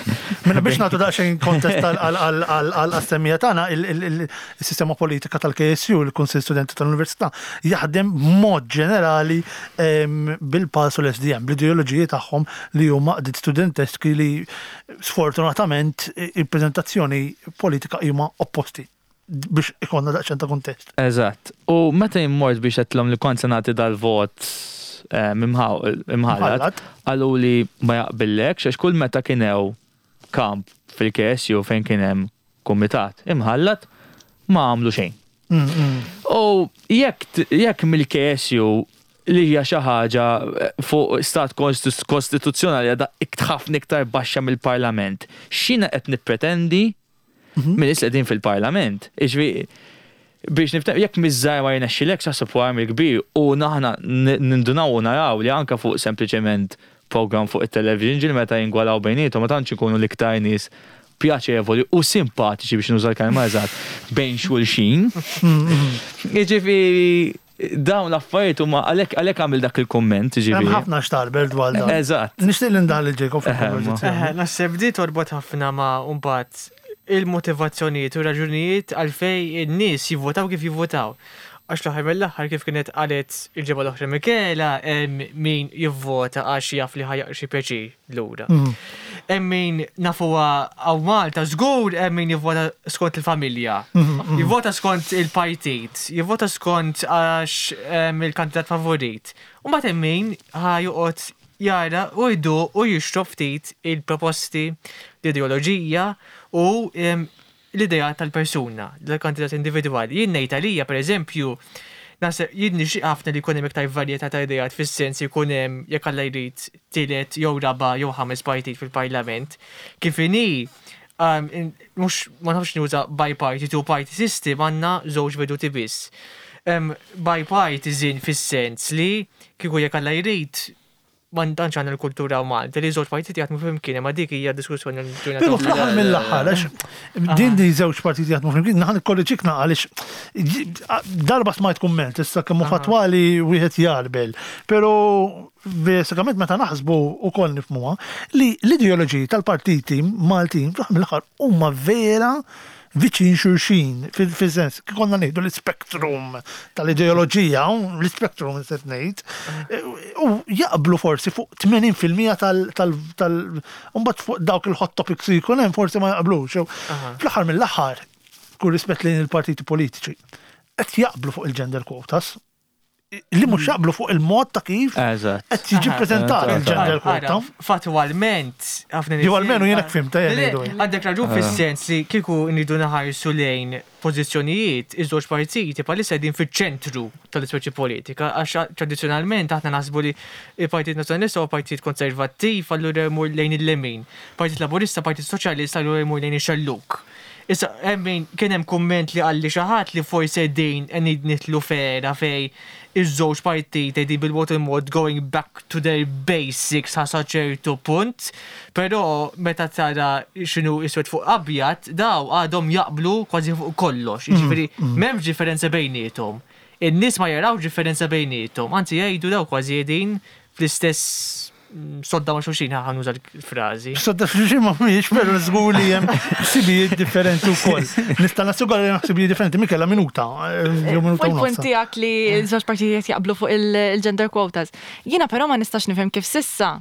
Mela biex nagħtu daqsxejn kontest għall-semmija tagħna, il-sistema politika tal-KSU, il-Kunsill Studenti tal-Università, jaħdem b'mod ġenerali bil-PALS u l-SDM, bl-ideoloġiji tagħhom li huma għaqdiet studenteski li sfortunatament il-preżentazzjoni politika huma opposti. Biex ikollna daqsxejn ta' kuntest. Eżatt. U meta jien mort biex għedtilhom li kont se nagħti dal-vot imħallat, qaluli ma jaqbillekx għax kull meta kien hew kamp fil-KSU fejn kien hemm kumitat imħallat ma għamlu xejn. U jekk jekk mill-KSU li hija xi ħaġa fuq stat kostituzzjonali għadha ħafna iktar baxxa mill-Parlament, x'jiena qed nippretendi? Minn nies li qegħdin fil-Parlament. Jiġifieri biex niftem, jekk miż-żgħir ma jirnexxilekx aħseb wara mill-kbir u aħna nindunaw u naraw li anke fuq sempliċement programm fuq it-television ġieli meta jingwalaw bejniethom ma tantx ikunu l-iktar nies pjaċevoli u simpatiċi biex nuża l-kelma eżatt bejn xulxin. Jiġifieri dawn l-affarijiet huma għalhekk għalhekk għamil dak il-kumment Hemm jiġifieri. ħafna x'tarbel dwar dan. Eżatt. Nixtieq li ndaħħal lil Jacob Eħe, ma. fil-konverżazzjoni. Eħe, naħseb di torbot ħafna ma' mbagħad il-motivazzjonijiet u raġunijiet għalfej in-nies jivvotaw kif jivvotaw. Għax l-aħħar mill-aħħar kif kienet qalet il-ġimgħa l-oħra Michela hemm min jivvota għax jaf li ħa jaqra xi pjaċir lura. Hemm min nafuha hawn Malta żgur hemm min jivvota skont il-familja. Jivvota skont il-partit, jivvota skont għax il-kandidat favorit. U mbagħad hemm min ħa joqgħod jara u jduq u jixrob ftit il-proposti, l-ideoloġija u l-idea tal-persuna, l-kandidat individwali. Jien ngħid għalija pereżempju, naħseb jien nixtieq ħafna li jkun hemm iktar varjetà ta' ideat fis-sens li jkun hemm jekk Alla jrid tielet jew raba' jew ħames partit fil-Parlament. Kif inhi mhux ma nafx nuża bi-party, two party system għandna żewġ veduti biss. Bipartisan fis-sens li kieku jekk Alla jrid ma tantx għandna l-kultura Malta li żewġ partiti jaħdmu flimkien, imma dik hija diskussjoni għal ġurnata Però oħra. fl-aħħar mill-aħħar, għax din li żewġ partiti jaħdmu flimkien, naħan ikkorreġik għaliex darba smajt kumment, issa kemm hu fattwali wieħed jarbel. Però basikament meta naħsbu ukoll nifhmuha li l-ideoloġiji tal-partiti Maltin fl-aħħar mill-aħħar huma vera viċin xulxin, fil-sens, konna ngħidu l-spektrum tal-ideoloġija, l-spektrum se ngħid, u jaqblu forsi fuq 80% tal tal tal mbagħad fuq dawk il-hot topics li jkun hemm forsi ma jaqblux. Fl-aħħar mill-aħħar, kull rispett lejn il-partiti politiċi, qed jaqblu fuq il-gender quotas, li mhux jaqblu fuq il-mod ta' kif Eżatt. qed jiġi preżentat il-gender Ara, quota. Fatwalment, ħafna nies. Jew almenu jiena fhimta, jien Le, ngħidu hekk. Għandek raġun fis-sens li kieku nridu naħarsu lejn pożizzjonijiet, iż-żewġ partiti bħalissa qegħdin fiċ-ċentru tal-ispeċi politika, għax tradizzjonalment aħna naħsbu li il-Partit Nazzjonalista huwa partit konservattiv, allura jmur lejn il-lemin. Partit Laburista, Partit Soċjalista, allura jmur lejn ix-xellug. Issa, hemm min kien hemm kumment li qalli xi ħadd li forsi din qed nidħlu f'era fej iż-żewġ partiti qegħdin bil-mod il-mod going back to their basics sa ċertu punt, però meta tara x'inhu iswed fuq abjad, daw għadhom jaqblu kważi fuq kollox. Jiġifieri m'hemmx differenza bejniethom. In-nies ma jarawx differenza bejniethom, anzi jgħidu daw kważi qegħdin fl-istess sodda ma' xulxin, ħa nuża l-frażi. Sodda xulxin ma mhijiex, però żgur li hemm ħsibijiet differenti wkoll. Nista' nassigura li hemm ħsibijiet differenti, Michela minuta, jew minuta Fuq u il-punt nofs. tiegħek li l-żewġ partijiet jaqblu fuq il-gender quotas. Jiena però ma nistax nifhem kif sissa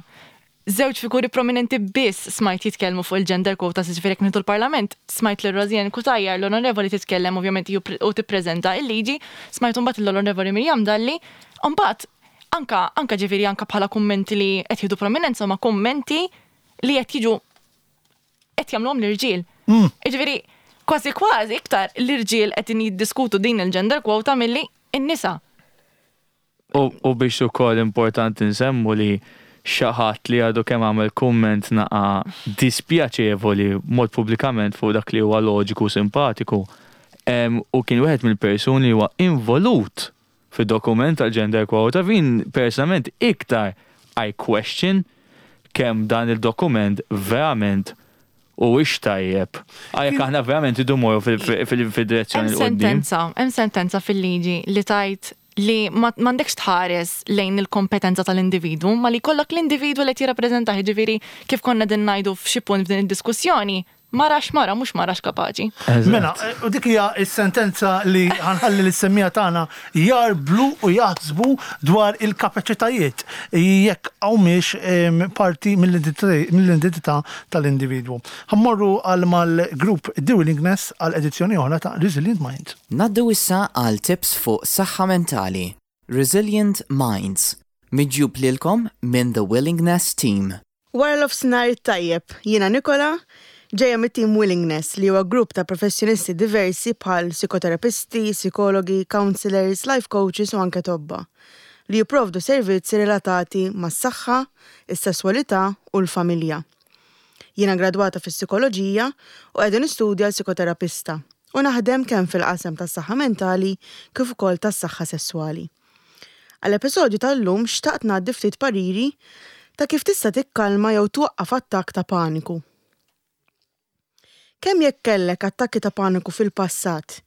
żewġ figuri prominenti biss smajt jitkellmu fuq il-gender quotas, jiġifieri jekk nieħdu l-Parlament, smajt lil Rosianne Cutajar, l-onorevoli titkellem ovvjament u tippreżenta il-liġi, smajt imbagħad l-onorevoli Miriam Dalli, u mbagħad anka anka ġifieri anka bħala kummenti li qed jieħdu prominenza huma kummenti li qed jiġu qed jagħmluhom l-irġiel. Jiġifieri kważi kważi iktar l-irġiel qed jiddiskutu din il-gender quota milli n-nisa. U biex ukoll importanti nsemmu li xi ħadd li għadu kemm għamel kumment naqa dispjaċevoli mod pubblikament fuq dak li huwa loġiku u simpatiku. U kien wieħed mill-persuni li huwa involut fid-dokument tal-gender quota fin personalment iktar I question kemm dan il-dokument verament u ix tajjeb. Għajek aħna verament idu morru fil-direzzjoni Hemm l qoddim. sentenza, hemm sentenza fil-liġi li tajt li m'għandekx tħares lejn il-kompetenza tal-individwu, ma li kollok l-individwu li qed jirrappreżentah, jiġifieri kif konna din ngħidu f'xi punt f'din id-diskussjoni, marax mara mhux marax kapaċi. Mela, u dik hija s-sentenza li ħanħalli lis-semmija tagħna jarblu u jaħsbu dwar il-kapaċitajiet jekk hawnhiex parti mill-identità tal-individwu. Ħammorru għal mal-grupp The Willingness għal edizzjoni oħra ta' Resilient Minds. Naddu issa għal tips fuq saħħa mentali. Resilient Minds, miġjub lilkom minn The Willingness Team. Wara l-ofsinhar it-tajjeb, jiena Nikola, ġejja mit-Team Willingness li huwa grupp ta' professjonisti diversi bħal psikoterapisti, psikologi, counselors, life coaches u anke tobba li jipprovdu servizzi relatati mas-saħħa, is-sesswalità u l-familja. Jiena gradwata fis-Psikoloġija u qiegħda nistudja għal psikoterapista u naħdem kemm fil-qasam tas-saħħa mentali kif ukoll tas-saħħa sesswali. Għall-episodju tal-lum xtaqt ngħaddi ftit pariri ta' kif tista' tikkalma jew twaqqaf attakk ta' paniku. Kemm jekk kellek attakki ta' paniku fil-passat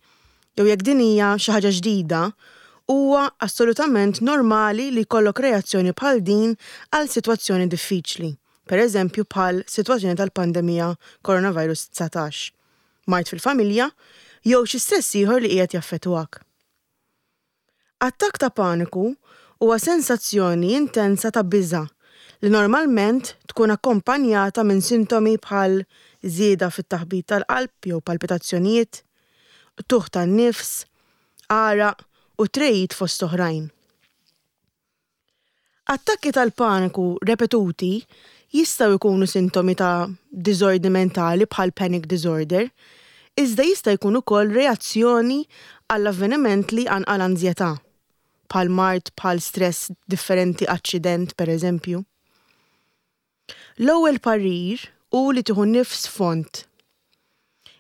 jew jekk din hija xi ħaġa ġdida, huwa assolutament normali li jkollok reazzjoni bħal din għal sitwazzjoni diffiċli, pereżempju bħal sitwazzjoni tal-pandemija coronavirus 19, mard fil-familja jew xi stress ieħor li qiegħed jaffettwak. Attakk ta' paniku huwa sensazzjoni intensa ta' biża' li normalment tkun akkompanjata minn sintomi bħal żieda fit-taħbit tal-qalb jew palpitazzjonijiet, qtugħ tan-nifs, għaraq u tregħid fost oħrajn. Attakki tal-paniku repetuti jistgħu jkunu sintomi ta' diżordni mentali bħal panic disorder, iżda jista' jkun ukoll reazzjoni għal avveniment li jqanqal anżjetà, bħal mard bħal stress differenti aċċident pereżempju. L-ewwel parir hu li tieħu nifs fond.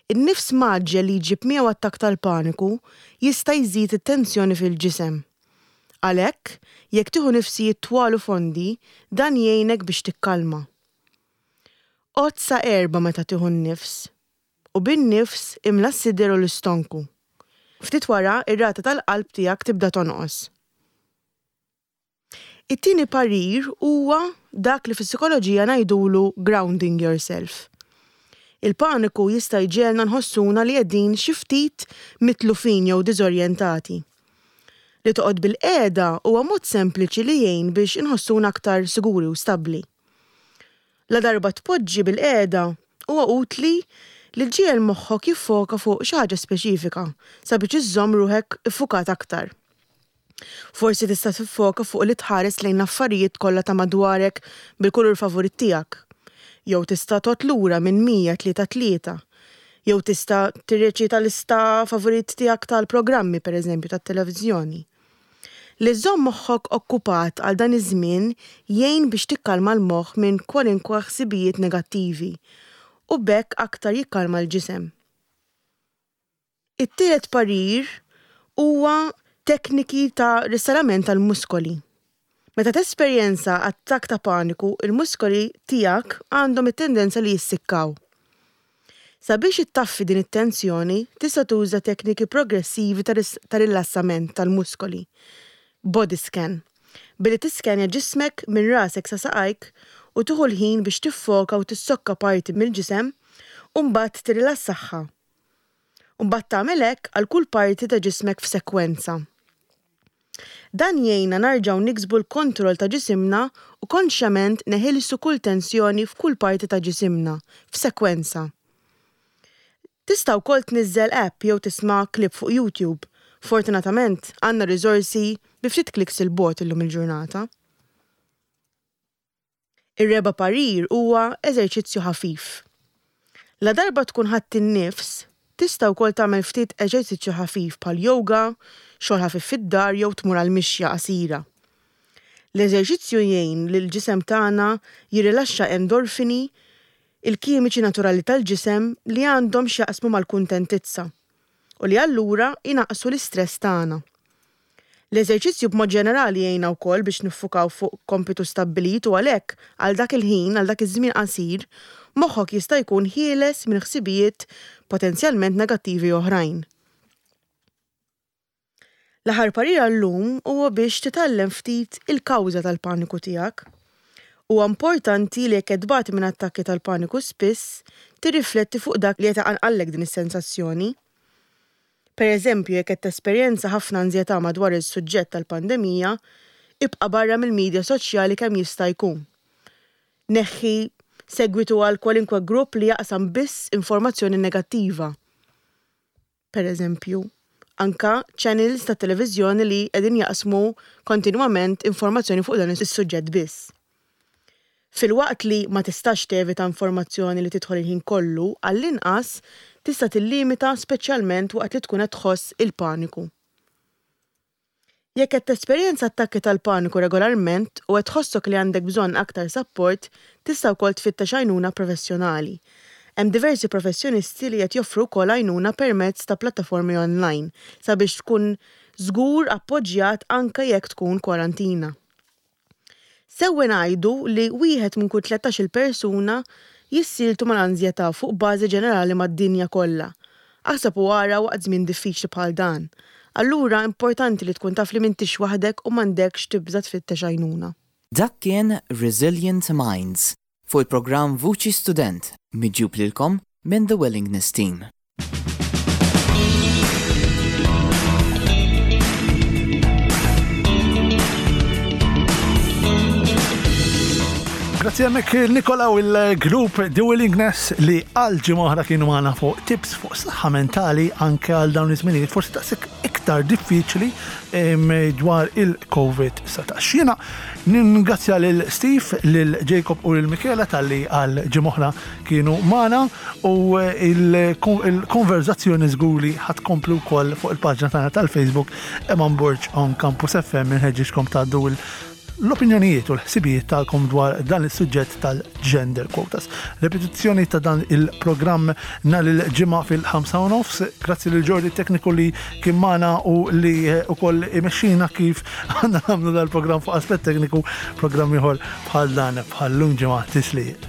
In-nifs mgħaġġel li jġib miegħu attakk tal-paniku jista' jżid it-tensjoni fil-ġisem. Għalhekk, jekk tieħu nifsijiet twal u fondi, dan jgħinek biex tikkalma. Għodd sa erbgħa meta tieħu n-nifs, u bin-nifs imla s-sider u l-istonku. Ftit wara, ir-rata tal-qalb tiegħek tibda tonqos. It-tieni parir huwa dak li fis-psikoloġija ngħidulu grounding yourself. Il-paniku jista' jġegħelna nħossuna li qegħdin xi ftit mitlufin jew diżorjentati. Li toqgħod bilqiegħda huwa mod sempliċi li jgħin biex inħossuna aktar siguri u stabbli. Ladarba tpoġġi bilqiegħda, huwa utli li ġġiegħel moħħok jiffoka fuq xi ħaġa speċifika sabiex iżżomm ruħek iffukat aktar. Forsi tista' tiffoka fuq li tħares lejn l-affarijiet kollha ta' madwarek bil-kulur favorit tiegħek. Jew tista' tgħodd lura minn 100 tlieta tlieta. Jew tista' tirreċita lista favorit tiegħek tal-programmi, pereżempju, tat-televiżjoni. Li żżomm moħħok okkupat għal dan iż-żmien jgħin biex tikkalma l-moħħ minn kwalinkwe ħsibijiet negattivi u b'hekk aktar jikkalma l-ġisem. It-tielet parir huwa tekniki ta' ristalament tal-muskoli. Meta tesperjenza attakk ta' paniku, il-muskoli tiegħek għandhom it-tendenza li jissikkaw. Sabiex ittaffi din it-tensjoni, tista' tuża tekniki progressivi ta' rilassament tal-muskoli, body scan, billi tiskennja ġismek minn rasek sa saqajk u tieħu l-ħin biex tiffoka u tissokka parti mill-ġisem u mbagħad tirrilassaha. U mbagħad tagħmel hekk għal kull parti ta' ġismek f'sekwenza. Dan jgħinna narġgħu niksbu l-kontroll ta' ġisimna u konxjament neħilsu kull tensjoni f'kull parti ta' ġisimna, f'sekwenza. Tista' wkoll tniżżel app jew tisma' clip fuq YouTube. Fortunatament, għandna riżorsi bi ftit clicks 'il bogħod illum il-ġurnata. Ir-reba' parir huwa eżerċizzju ħafif. Ladarba tkun ħadt in-nifs, tista' wkoll tagħmel ftit eġerzizzju ħafif bħal yoga, xogħol ħafif fid-dar jew tmur għal mixja qasira. L-eżerċizzju jgħin lill-ġisem tagħna jirrilaxxa endorfini, il-kimiċi naturali tal-ġisem li għandhom x'jaqsmu mal-kuntentizza u li allura jnaqqsu l-istress tagħna. L-eżerċizzju b'mod ġenerali jgħinna wkoll biex niffukaw fuq kompitu stabbilit u għalhekk, għal dak il-ħin, għal dak iż-żmien qasir, moħħok jista' jkun ħieles minn ħsibijiet potenzjalment negattivi oħrajn. L-aħħar parir għal-lum huwa biex titgħallem ftit il-kawża tal-paniku tiegħek. Huwa importanti li jekk qed tbati minn attakki tal-paniku spiss, tirrifletti fuq dak li qed iqanqallek din is-sensazzjoni. Per eżempju, jekk qed tesperjenza ħafna anżjetà madwar is-suġġett tal-pandemija, ibqa' barra mill-midja soċjali kemm jista' jkun. Neħħi segwitu għal kwalinkwe grupp li jaqsam biss informazzjoni negattiva. Per eżempju, anka channels tat-televiżjoni li qegħdin jaqsmu kontinwament informazzjoni fuq dan is-suġġett biss. Filwaqt li ma tistax tevita informazzjoni li tidħol il-ħin kollu, għall-inqas tista' tillimita speċjalment waqt li tkun qed tħoss il-paniku. Jekk qed tesperjenza attakki tal-paniku regolarment u qed tħossok li għandek bżonn aktar sapport, tista' wkoll tfittex għajnuna professjonali. Hemm diversi professjonisti li qed joffru wkoll għajnuna permezz ta' plattaformi online sabiex tkun żgur appoġġjat anke jekk tkun kwarantina. Sewwa ngħidu li wieħed minn kull 13-il persuna jissieltu mal-anżjetà fuq bażi ġenerali mad-dinja kollha. Aħseb u ara waqt żmien diffiċli bħal dan. Allura importanti li tkun taf li m'intix waħdek u m'għandekx tibża' tfittex għajnuna. Dak kien Resilient Minds fuq il-programm Vuċi Student miġjub lilkom minn The Willingness Team. Grazzi għamek Nikola u il-grupp The Willingness li għal ġimgħa kienu magħna fuq tips fuq saħħa mentali anke għal dawn iż-żminijiet forsi taqsik iktar diffiċli dwar il-COVID-19. Jiena ningrazzja lil Steve, lil Jacob u lil Michela talli għal ġimgħa oħra kienu magħna u il-konverzazzjoni żgur li ħa tkompli wkoll fuq il-paġna tagħna tal-Facebook Eman Borg on Campus FM inħeġġiġkom tgħaddu l-opinjonijiet u l-ħsibijiet tagħkom dwar dan is-suġġett tal-gender quotas. Repetizzjoni ta' dan il-programm nhar il-Ġimgħa fil-5 u nofs. Grazzi lil Jordi tekniku li kien magħna u li wkoll imexxina kif għandna nagħmlu dal-programm fuq aspett tekniku, programm ieħor bħal dan bħal-lum ġimgħa tislijiet.